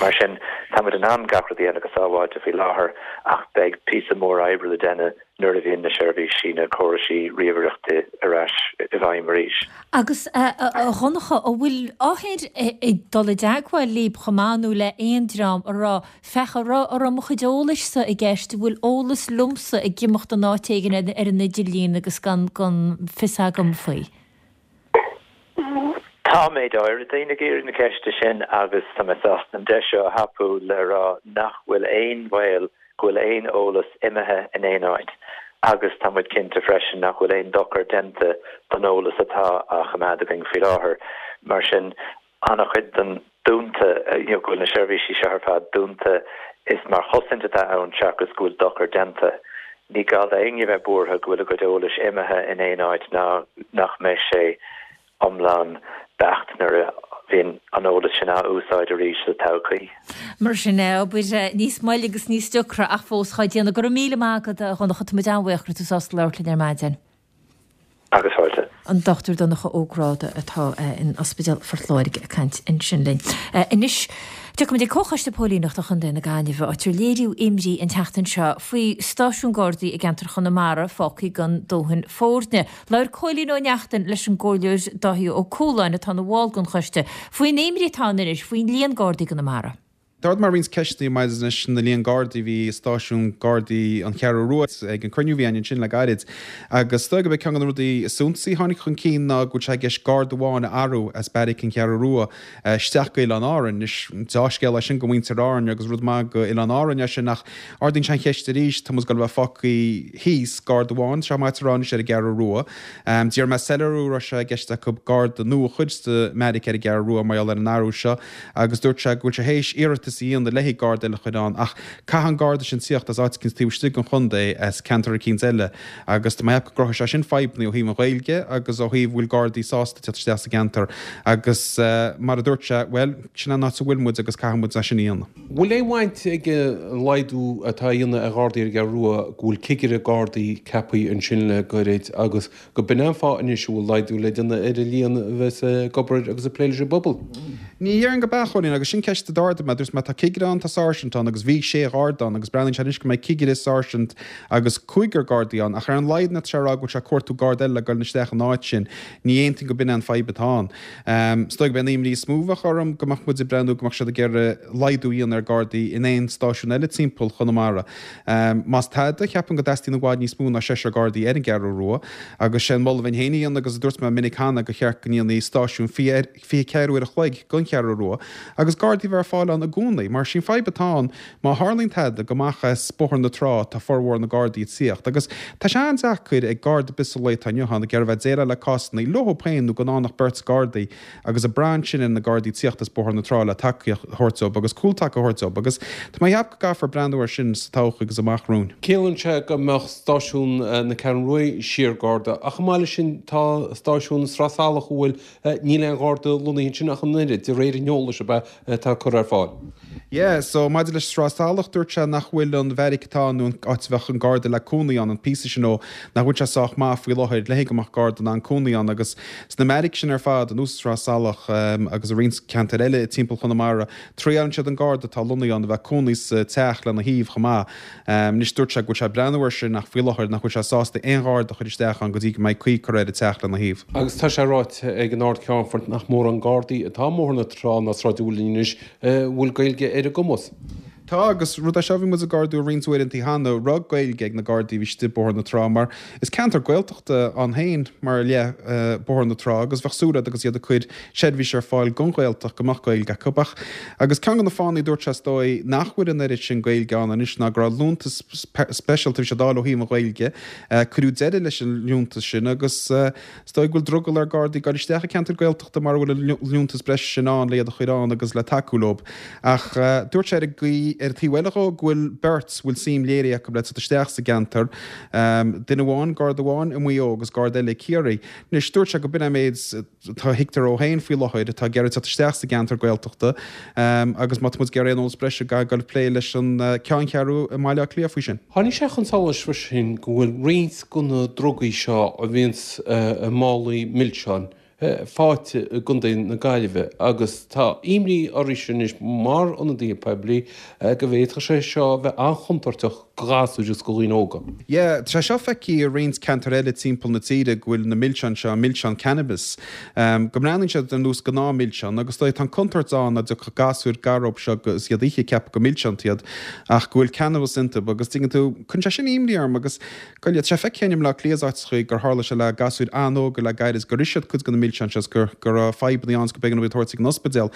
Mar sin, tá muid in ann gach rud a dhéanamh go sábháilte faoi láthair ach beidh píosa mór oibre le déanamh nuair a bhíonn na seirbhísí, na córaisí ríomhaireachta ar ais i bhfeidhm arís. Agus, a Dhonncha, an bhfuil othair ag dul i dteagmháil libh chomh maith nó le aon dream a rá, féach, an raibh, an raibh mo chuid eolais-sa i gceist, an bhfuil eolas liomsa ag imeacht in áit éigin ar an idirlíon agus gan, gan fios agam faoi? Tá méid áirithe daoine ag iarraidh na ceiste sin agus tá mé sásta an deis seo a thapú le rá nach bhfuil aon bhaol go bhfuil aon eolas imithe in aon áit agus tá muid cinnte freisin nach bhfuil aon dochar déanta don eolas atá á choimeád againn faoi láthair. Mar sin, an-chuid den dúnta, you know, go bhfuil na seirbhísí seo ar fad dúnta, is mar chosaint atá ann seachas go bhfuil dochar déanta. Ní gá d'éinne bheith buartha go bhfuil a gcuid eolais imithe in aon áit ná nach mbeidh sé iomlán beacht nuair a bhíonn an eolas sin á úsáid arís sa todhchaí. Mar sin é, obair níos moille agus níos deacra ach fós á déanamh. Go raibh míle maith agat, a Dhonncha, tá muid an-bhuíoch go raibh tú sásta labhairt linn ar maidin. Agus fáilte. An Dr Donncha Ó Gráda atá in Ospidéal Phort Láirge ag caint ansin linn. Anois, tiocfaimid ag Comhchoiste Póilíneachta Chontae na Gaillimhe, áit ar léiríodh imní an tseachtain seo faoi stáisiún Gardaí i gceantar Chonamara fágtha gan dóthain foirne. Labhair Cóilín Ó Neachtain leis an gComhairleoir Dáithí Ó Cualáin, atá ina bhall den choiste, faoin imní atá ann anois faoin líon Gardaí i gConamara. D'ardaigh mé roinnt ceisteanna maidir leis na líon Gardaí a bhí i stáisiún Gardaí an Cheathrú Rua ag an cruinniú a bhí againn ansin le gairid agus is dóigh gurb é ceann de na rudaí is suntasaí a tháinig chun cinn ná go bhfuil sé i gceist Garda amháin a athrú as beairic an Cheathrú Rua isteach go Oileáin Árainn. Anois, deá-scéal é sin go mhuintir Árann agus rud maith go Oileáin Árainn é sin ach ardaíonn sé an cheist arís, tá muid ag dul a bheith fágtha thíos, Garda amháin, tá sé maite a rá anois ar an gCeathrú Rua. D'iarr mé soiléiriú an raibh sé i gceist acu Garda nua a chur sa mbeairic ar an gCeathrú Rua mar gheall ar an athrú seo. agus dúirt sé go bhfuil sé théis iarratas a dhéanamh le haghaidh garda eile a chur ann ach caithfidh an garda sin tíocht as áit eicínt taobh istigh den chontae, as ceantar eicínt eile agus tá mé ag ceapadh go gcruthóidh sé sin fadhbanna ó thaobh an Ghaeilge agus ó thaobh bhfuil gardaí sásta tíocht isteach sa gceantar agus mar a dúirt sé, bhuel, sin an áit a bhfuil muid agus caithfidh muid é sin a dhéanamh. Bhfuil aon bhaint ag an laghdú atá á dhéanamh ar Ghardaí ar an gCeathrú Rua go bhfuil cigire Gardaí ceaptha ansin le gairid agus Go b'in é an fáth anois a bhfuil laghdú le déanamh ar an líon a bheas ag obair agus ag plé leis an bpobal. Ní dhéarfainn go b'ea, a Chóilín, agus sin ceist a d'ardaigh mé. Dúirt mé, tá cigire ann, tá sáirsint ann, agus bhí sé gharda ann, agus breathnaíonn sé anois go mbeidh cigire, sáirsint agus cúigear gardaí ann, ach ar an laghad tá sé ag rá go bhfuil sé ag cuartú garda eile le goil isteach in áit sin. Ní aontaím go b'in é an fadhb atá ann. Is dóigh go b'é an imní is mó a bheadh orm go mbeadh muid ag breathnú go mbeadh siad ag iarraidh laghdú a dhéanamh ar gardaí in aon stáisiún eile timpeall Chonamara. Más tada, cheapfainn go dteastaíonn i bhfad níos mó ná seisear Gardaí ar an gCeathrú Rua, agus sé an moladh a bheinn féin a dhéanamh, agus a dúirt mé minic cheana, gur cheart go ndéanfaí stáisiún 24 uair a chloig den. don Cheathrú Rua agus Gardaí a bheith ar fáil ann i gcónaí mar sin fadhb atá ann má tharlaíonn tada go amach as Bóthar na Trá tá formhór na Gardaí ag tíocht agus tá sé an-deacair ag Garda ar bith sa lae atá inniu ann ag iarraidh bheith ag déileáil le cásanna leo féin nó gan ann ach beirt Gardaí agus ag brath ansin ar na Gardaí tíocht as Bóthar na Trá le tacaíocht a thabhairt dóibh agus cúltaca a thabhairt dóibh agus tá mé ag ceapadh go gcaithfear breathnú air sin sa todhchaí agus amach romhainn. Ciallaíonn sé go mbeadh stáisiún na Ceathrún Rua siar Garda ach chomh maith leis sin tá stáisiún Sraith Salach a bhfuil níl aon Gharda lonnaithe ansin ach an oiread, de réir an eolais ab ea atá curtha ar fáil. Yeah, so maidir leis Sraith Salach, dúirt sé nach bhfuil an bheairic atá ann nó an áit a bheadh an garda le cónaí ann, an píosa sin ó, nach bhfuil sé sách maith faoi láthair le go mbeadh garda in ann cónaí ann agus sna mbeairic sin ar fad, anuas Sraith Salach agus i roinnt ceantair eile timpeall Chonamara, triaileann siad an garda atá lonnaithe ann a bheith cónaí sa teach lena thaobh chomh maith. Anois dúirt sé go bhfuil sé ag breathnú air sin ach faoi láthair nach bhfuil sé sásta aon gharda a chur isteach ann go dtí go mbeidh caoi curtha ar an teach lena thaobh. Agus tá sé ráite ag an Ard-Cheannfort nach mórán Gardaí atá i mBóthar na Trá ná Sráid an Mhuilinn anois a bhfuil Gaeilge ar a gcumas. Tá, agus rud é seo a bhí muid ag ardú roinnt uaireanta cheana, raibh Gaeilge ag na Gardaí a bhí istigh i Bóthar na Trá mar is ceantar Gaeltachta ann féin mar leith Bóthar na Trá agus bheadh súil agat agus iad ag cur seirbhís ar fáil don Ghaeltacht go mbeadh Gaeilge acu. Ach, agus ceann de na fáthanna, dúirt sé, is dóigh, nach bhfuil an oiread sin Gaeilge ann anois ná go raibh liúntas speisialta a bhí siad a fháil ó thaobh an Ghaeilge, cuireadh deireadh leis an liúntas sin agus is dóigh go bhfuil drogall ar Gardaí dul isteach i gceantar Gaeltachta mara bhfuil an liúntas breise sin ann le iad a chur ann agus le tacú leo. Ach dúirt sé ar an gcaoi, ar an taobh eile dhó, go bhfuil beirt a bhfuil suim léirithe acu le teacht isteach sa gceantar, duine amháin, Garda amháin i Maigh Eo agus Garda eile i Ciarraí. Anois, dúirt sé go b'in é an méid atá thuigtear dó féin faoi láthair atá ag iarraidh teacht isteach sa gceantar Gaeltachta agus má tá muid ag iarraidh aon eolas breise caithfidh dul ag plé leis an ceanncheathrú i mBaile Átha Cliath faoi sin. Tháinig sé chun solais freisin go bhfuil roinnt de na drugaí seo a bhíonns i málaí milseáin faighte i gContae na Gaillimhe agus tá imní oraibhse anois mar ionadaithe poiblí go bhféadfadh sé seo a bheith an-chontúirteach do ghasúir agus do dhaoine óga. Yeah, tá sé seo feicthe i roinnt ceantar eile timpeall na tíre go bhfuil na milseáin seo, milseáin cannabis, go mbreathnaíonn siad ar nós gnáth milseán agus tá an contúirt ann dá dtiocfadh gasúir gar dóibh seo agus iad a ithe ag ceapadh gur milseáin iad ach go bhfuil cannabis iontu agus tuigeann tú, cuireann sé sin imní orm agus go tá sé feicthe i mBleá Cliath is áiteachaí gur tharla sé le gasúir an-óga le gairid gur ith siad cuid de na milseáin seo is gur go raibh fadhbanna ann is go b'éigean dóibh iad a thabhairt ag an ospidéal.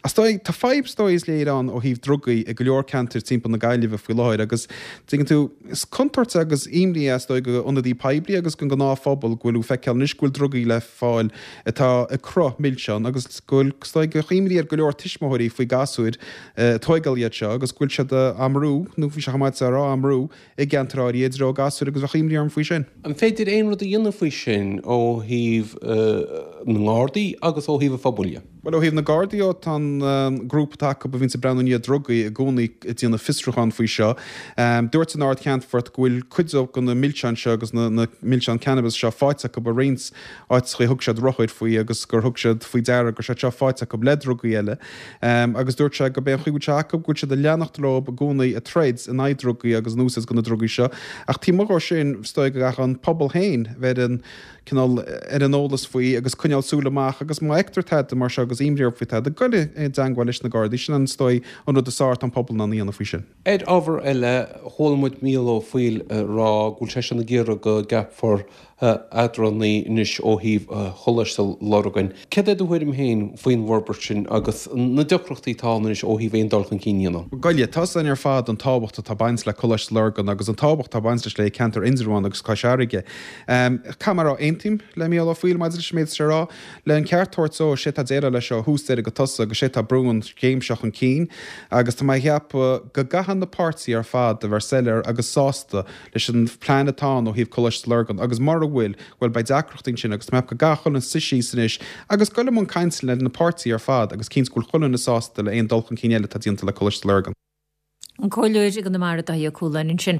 Is dóigh, tá fadhb is dóigh is léir ann ó thaobh drugaí i go leor ceantair timpeall na Gaillimhe faoi láthair agus, tuigeann tú, is contúirt agus imní é is dóigh do ionadaí poiblí agus don ghnáthphobal go bhfuil tú feiceáil anois go bhfuil drugaí le fáil atá i gcruth milseán agus go bhfuil, is dóigh, go imní ar go leor tuismitheoirí faoi gasúir ag tóigeáil iad seo agus go bhfuil siad á mbrú, nó bhí sé chomh maith a rá á mbrú, i gceantair áirithe i dtreo gasúir agus bheadh imní orm faoi sin. An féidir aon rud a dhéanamh faoi sin ó thaobh na nGardaí agus ó thaobh an phobail dhe? Bhuel, ó thaobh na Gardaí dhó, tá an grúpa atá acu a bhíonns ag breathnú i ndiaidh drugaí i gcónaí ag déanamh fiosrúchán faoi seo. Dúirt an Ard-Cheannfort go bhfuil cuid de na milseáin seo agus na milseáin cannabis seo faighte acu i roinnt áiteachaí a thug siad rothair faoi agus gur thug siad faoi deara go raibh siad seo faighte acu le drugaí eile. Agus dúirt sé gurb é an chaoi a bhfuil sé acu go bhfuil siad ag leanacht leo i gcónaí ag troid in aghaidh drugaí agus an úsáid de na drugaí seo. Ach taobh amuigh dhó sin, is dóigh go gcaithfidh an pobal féin bheith ar an cineál ar an eolas faoi agus coinneáil súil amach agus má fheictear tada mar seo agus imní orthu faoi tada, goil i dteangmháil leis na Gardaí. Sin an, is dóigh, an rud is fearr atá an pobal in ann a dhéanamh faoi sin. Ar ábhar eile, chuala muid Mícheál Ó Foighil ag rá go bhfuil seisean ag iarraidh go gceapfar eadránaí anois ó thaobh Choláiste Lurgan. Céard é do thuairim féin faoin bhforbairt sin agus na deacrachtaí atá ann anois ó thaobh aon dul chun cinn a dhéanamh? Gabh i leith, tá 's againn ar fad an tábhacht atá ag baint le Coláiste Lurgan agus an tábhacht atá ag baint leis le ceantar Indreabhán agus Cois Fharraige. Caithfidh mé a rá, aontaím le Mícheál Ó Foighil maidir leis an méid atá sé a rá. Le an ceart a thabhairt dó, sé atá ag déileáil leis seo ó thús deireadh go tosach agus sé atá ag brú an chéim seo chun cinn agus tá mé ag ceapadh go gcaithfidh na páirtithe ar fad a bheith soiléir agus sásta leis an phlean atá ann ó thaobh Coláiste Lurgan agus mura bhfuil, bhuel beidh deacrachtaí ansin agus tá mé ag ceapadh go gcaithfidh chuile dhuine suí síos anois agus goil i mbun cainte le na páirtithe ar fad agus cinntiú go bhfuil chuile dhuine sásta le aon dul chun cinn eile atá déanta le Coláiste Lurgan. An Comhairleoir i gConamara Dáithí Ó Cualáin ansin.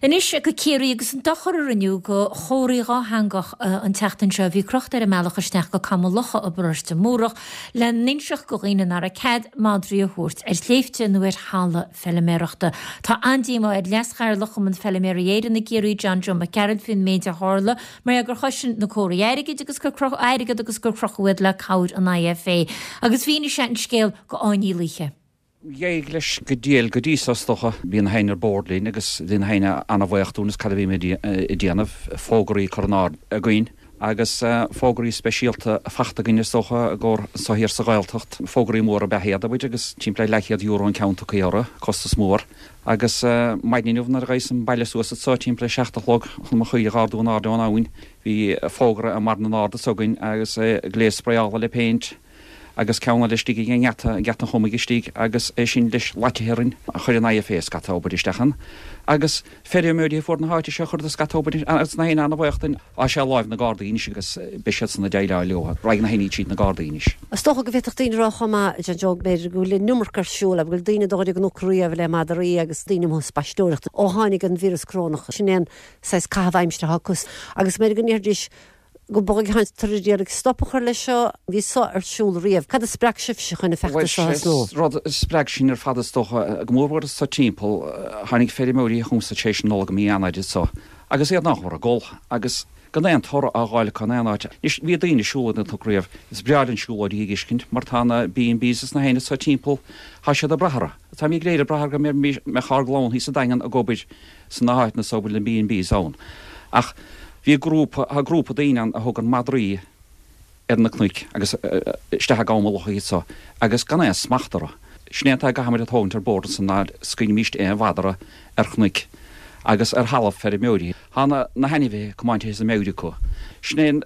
Anois go Ciarraí agus an dochar a rinneadh do chomharthaí dhátheangach an tseachtain seo a bhí crochta ar an mbealach isteach go Cam an Locha i bParóiste Múrach le n-inseacht do dhaoine nach raibh cead madraí a thabhairt ar shléibhte nó ar thalamh feiliméarachta. Tá an-díomá ar Leas-Chathaoirleach Chumann Feiliméaraí Éireann i gCiarraí John Joe Mac Gearailt faoin méid a tharla mar gheall gur chosain na comharthaí airgid agus gur airgead agus gur crochadh iad le cabhair an IFA. Agus mhínigh sé an scéal do Áine Ní Laoithe. D'éirigh leis go diail go dtí so is dócha. Bhí na héinne ar bord linn agus bhí na héinne an-bhaoch dúinn is cad a bhí muid ag déanamh, fógraí a chur in airde againn. Agus fógraí speisialta fachta againn is dócha i gcomhair anso thiar sa Ghaeltacht. Fógraí móra ab ea iad, abair, agus timpeall ar leathchéad euro an ceann tugtha orthu, costas mór. Agus maidin inniu nuair a ghabhas an baile suas anso timpeall ar 7 a chlog chun mo chaoire a dh'ardú in airde ón abhainn, bhí fógra i mbarr na n-ard anso againn agus gléas spraeála le péint agus ceann eile istigh ag an ngeata, Geata an Chumaigh istigh agus é sin leis laitithe orainn. Chuir an IFA scata obair isteach ann agus feirmeoirí a fuair na háite seo chuireadar scata obair agus na héinne ana-bhaoch den. Tá sé i láimh na Gardaí anois agus beidh siadsan ag déileáil leo. Raghaidh na héinní tríd na Gardaí anois. Is dócha go bhféadfadh daoine a rá chomh maith, John Joe, b'fhéidir go bhfuil an iomarca ar siúl, go bhfuil daoine ag dul ar an gcnoc riamh le madraí agus daoine amuigh ag spaisteoireacht ó tháinig an víreas corónach. Sin é an saghas caitheamh aimsire atá acu agus b'fhéidir go ndéarfaidís go b'fhéidir go bhfuiltear ag iarraidh stop a chur leis seo. Bhí seo ar siúl riamh. Cad a spreag sibhse chun an Bhuel, feachtas seo a sé thosnú? rud a spreag sinn ar fad is dócha, go mór mhór anso timpeall, tháinig feirmeoirí chugamsa tar éis na Nollag i mí Eanáir anso agus iad nach mór ag gol agus gan aon toradh á dh'fháil acu in aon áit. Anois, bhí daoine ag siúl ar an gcnoc riamh. Is breá linn siúlóidí a dh'fheiscint mar tá na B&Bs is na héinne anso timpeall, tá siad ag brath orthu. Táimid go léir ag brath orthu go mbeadh ár gclann thíos sa Daingean ag obair sna háiteanna so a bhfuil na B&Bs ann. Ach bhí grúpa, tá grúpa daoine ann a thugann madraí ar na cnoic agus isteach i gCam an Locha iad so agus gan aon smacht orthu. Sin é atá a gcaithfimid a thógaint ar bord ansan ná scaoilfimíst aon mhadra ar chnoic agus ar thalamh feirmeoirí. Tá na na hainmhithe comáintithe as a meabhair acu. Sin é an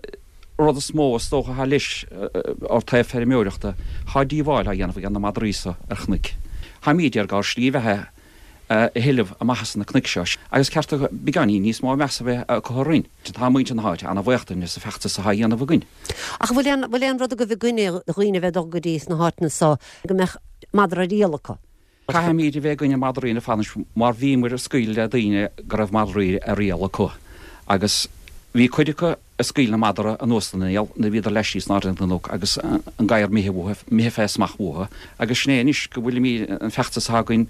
rud is mó is dócha atá leis ó taobh feirmeoireachta. Tá díobháil á dhéanamh ag na madraí so ar chnoic. Táimíd ag iarraidh ár slí bheatha a thuilleamh amach as na cnoic seo agus ceart beagáinín níos mó measa a bheith acu orainn. Tá muintir na háite ana-bhaoch dúinn as an feachtas atá á dhéanamh againn. Ach an bhfuil aon, bhfuil aon rud agaibh i gcoinne dhaoine a bheith ag dul go dtí sna háiteanna so go mbeadh madra ar iall acu? Caithfimid a bheith i gcoinne madraí ar fad anois mar bhíomar ag scaoileadh le daoine go raibh madraí ar iall acu agus bhí cuid acu ag scaoileadh na madra anuas den iall nuair a bhíodar laistíos in airde den gcnoc agus an gadhar imithe uathu, imithe fé smacht uathu agus sin é anois go bhfuilimid, an feachtas atá againn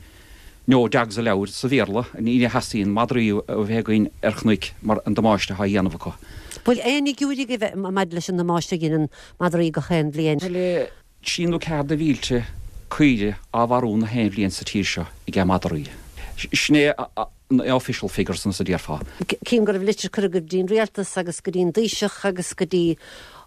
No Dogs Allowed sa Bhéarla, ní theastaíonn madraí a bheith againn ar chnoic mar an damáiste atá á dhéanamh acu. Bhfuil aon fhigiúirí agaibh maidir leis an damáiste a dheineann madraí gach aon bhliain? Bhuel, 3 nó 4 de mhílte caoire á mharú na haon bhliain sa tír seo ag madraí. Sin é na official figures nós a déarfá. Cím go raibh litir curtha agaibh go dtí an Rialtas agus go dtí an Taoiseach agus go dtí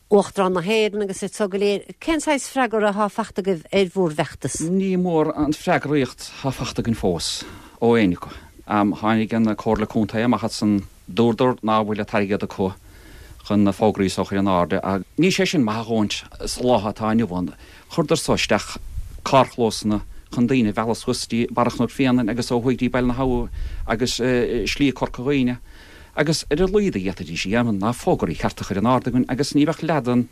Uachtarán na hÉireann agus iad so go léir. Cén saghas freagra atá fachta agaibh ar bhúr bhfeachtas? Ní mór an freagraíocht atá fachta againn fós ó éinne acu. Tháinig an Comhairle Contae amach ansan Dúradar ná bhfuil an t-airgead acu chun na fógraí so a chur in airde ach níl sé sin maith a dhóthaint sa lá atá inniu ann. Chuireadar so isteach carrchlósanna chun daoine a mhealladh suas dtí Barra Chnoc Bhréanainn agus ó thuaidh dtí Baile na hAbha agus Slí Corca Dhuibhne agus ar a laghad a d'fhéadfaidís a dhéanamh ná fógraí cearta a chur in airde againn agus ní bheadh leath den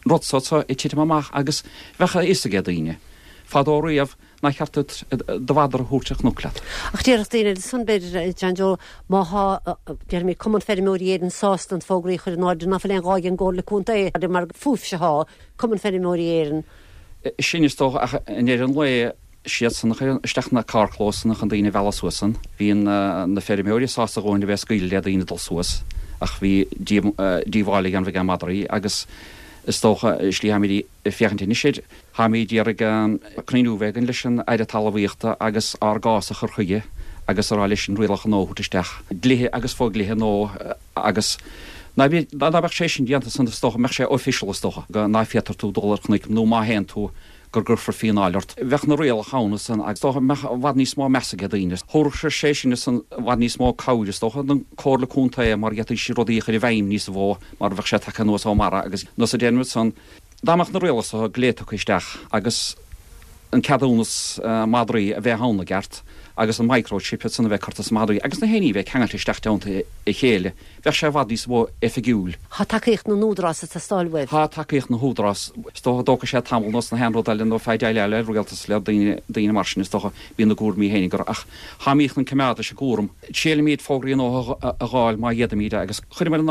rud so ag titim amach agus bheadh a fhios age daoine fadó riamh Nár cheart duit do mhadra a thabhairt ar chnoc leat. Ach déarfadh daoine eile ansan, b'fhéidir, a John Joe, má thá, déarfaimid, Cumann Feirmeoirí Éireann sásta an fógraí a chur in airde, ná fuil aon ghá ag an gComhairle Contae, mar fúibhse thá, Cumann Feirmeoirí Éireann. Sin is dócha, ach i ndeireadh an lae, siadsan a chuireann isteach na carrchlósanna chun daoine a mhealladh suas ann. Bhí na feirmeoirí sásta a dhóthain a bheith ag scaoileadh le daoine dul suas, ach bhí díobháil á dhéanamh ag madraí agus is dócha, slí tháimid ag féachaint anois air. Táimid ag iarraidh cruinniú a bheith againn leis an Aire Talmhaíochta agus ár gcás a chur chuige agus a rá leis an rialacha nua a thabhairt isteach, dlíthe agus fo-dhlíthe nua agus ná dá mbeadh sé sin déanta san is dócha mbeadh sé official is dócha go ná féadtar tú dul ar chnoic nó má théann tú gur gcuirfear fíneáil ort. Bheadh na rialacha ann ansan agus is dócha mbeadh i bhfad níos mó meas age daoine. Thabharfadh sé sin ansan i bhfad níos mó cabhair is dócha don Comhairle Contae mar d'fhéadfaidís rudaí a chur i bhfeidhm níos mó mar bheadh sé tagtha anuas ó mbarra agus nós a déanaimid san Dá mbeadh na rialacha so go léir tugtha isteach agus an ceadúnas madraí a bheith ann i gceart agus an microchip san a bheith curtha sna madraí agus na héinní a bheith ceangailte isteach dteannta a chéile, bheadh sé i bhfad níos mó oifigiúil. Tá tacaíocht na n-údarás ag teastáil uaibh. Tá tacaíocht na húdarás. Is dócha dtógfaidh sé tamall nós na haon rud eile nó feadh déileáil le rialtas le daoine, daoine mar sin is dócha, bíonn a gcúraimí féin acu ach táimid chun coimeád leis an gcúram. Triailfimid fógraí nua a dh'fháil má d'fhéadfaimid agus chuirfimid an.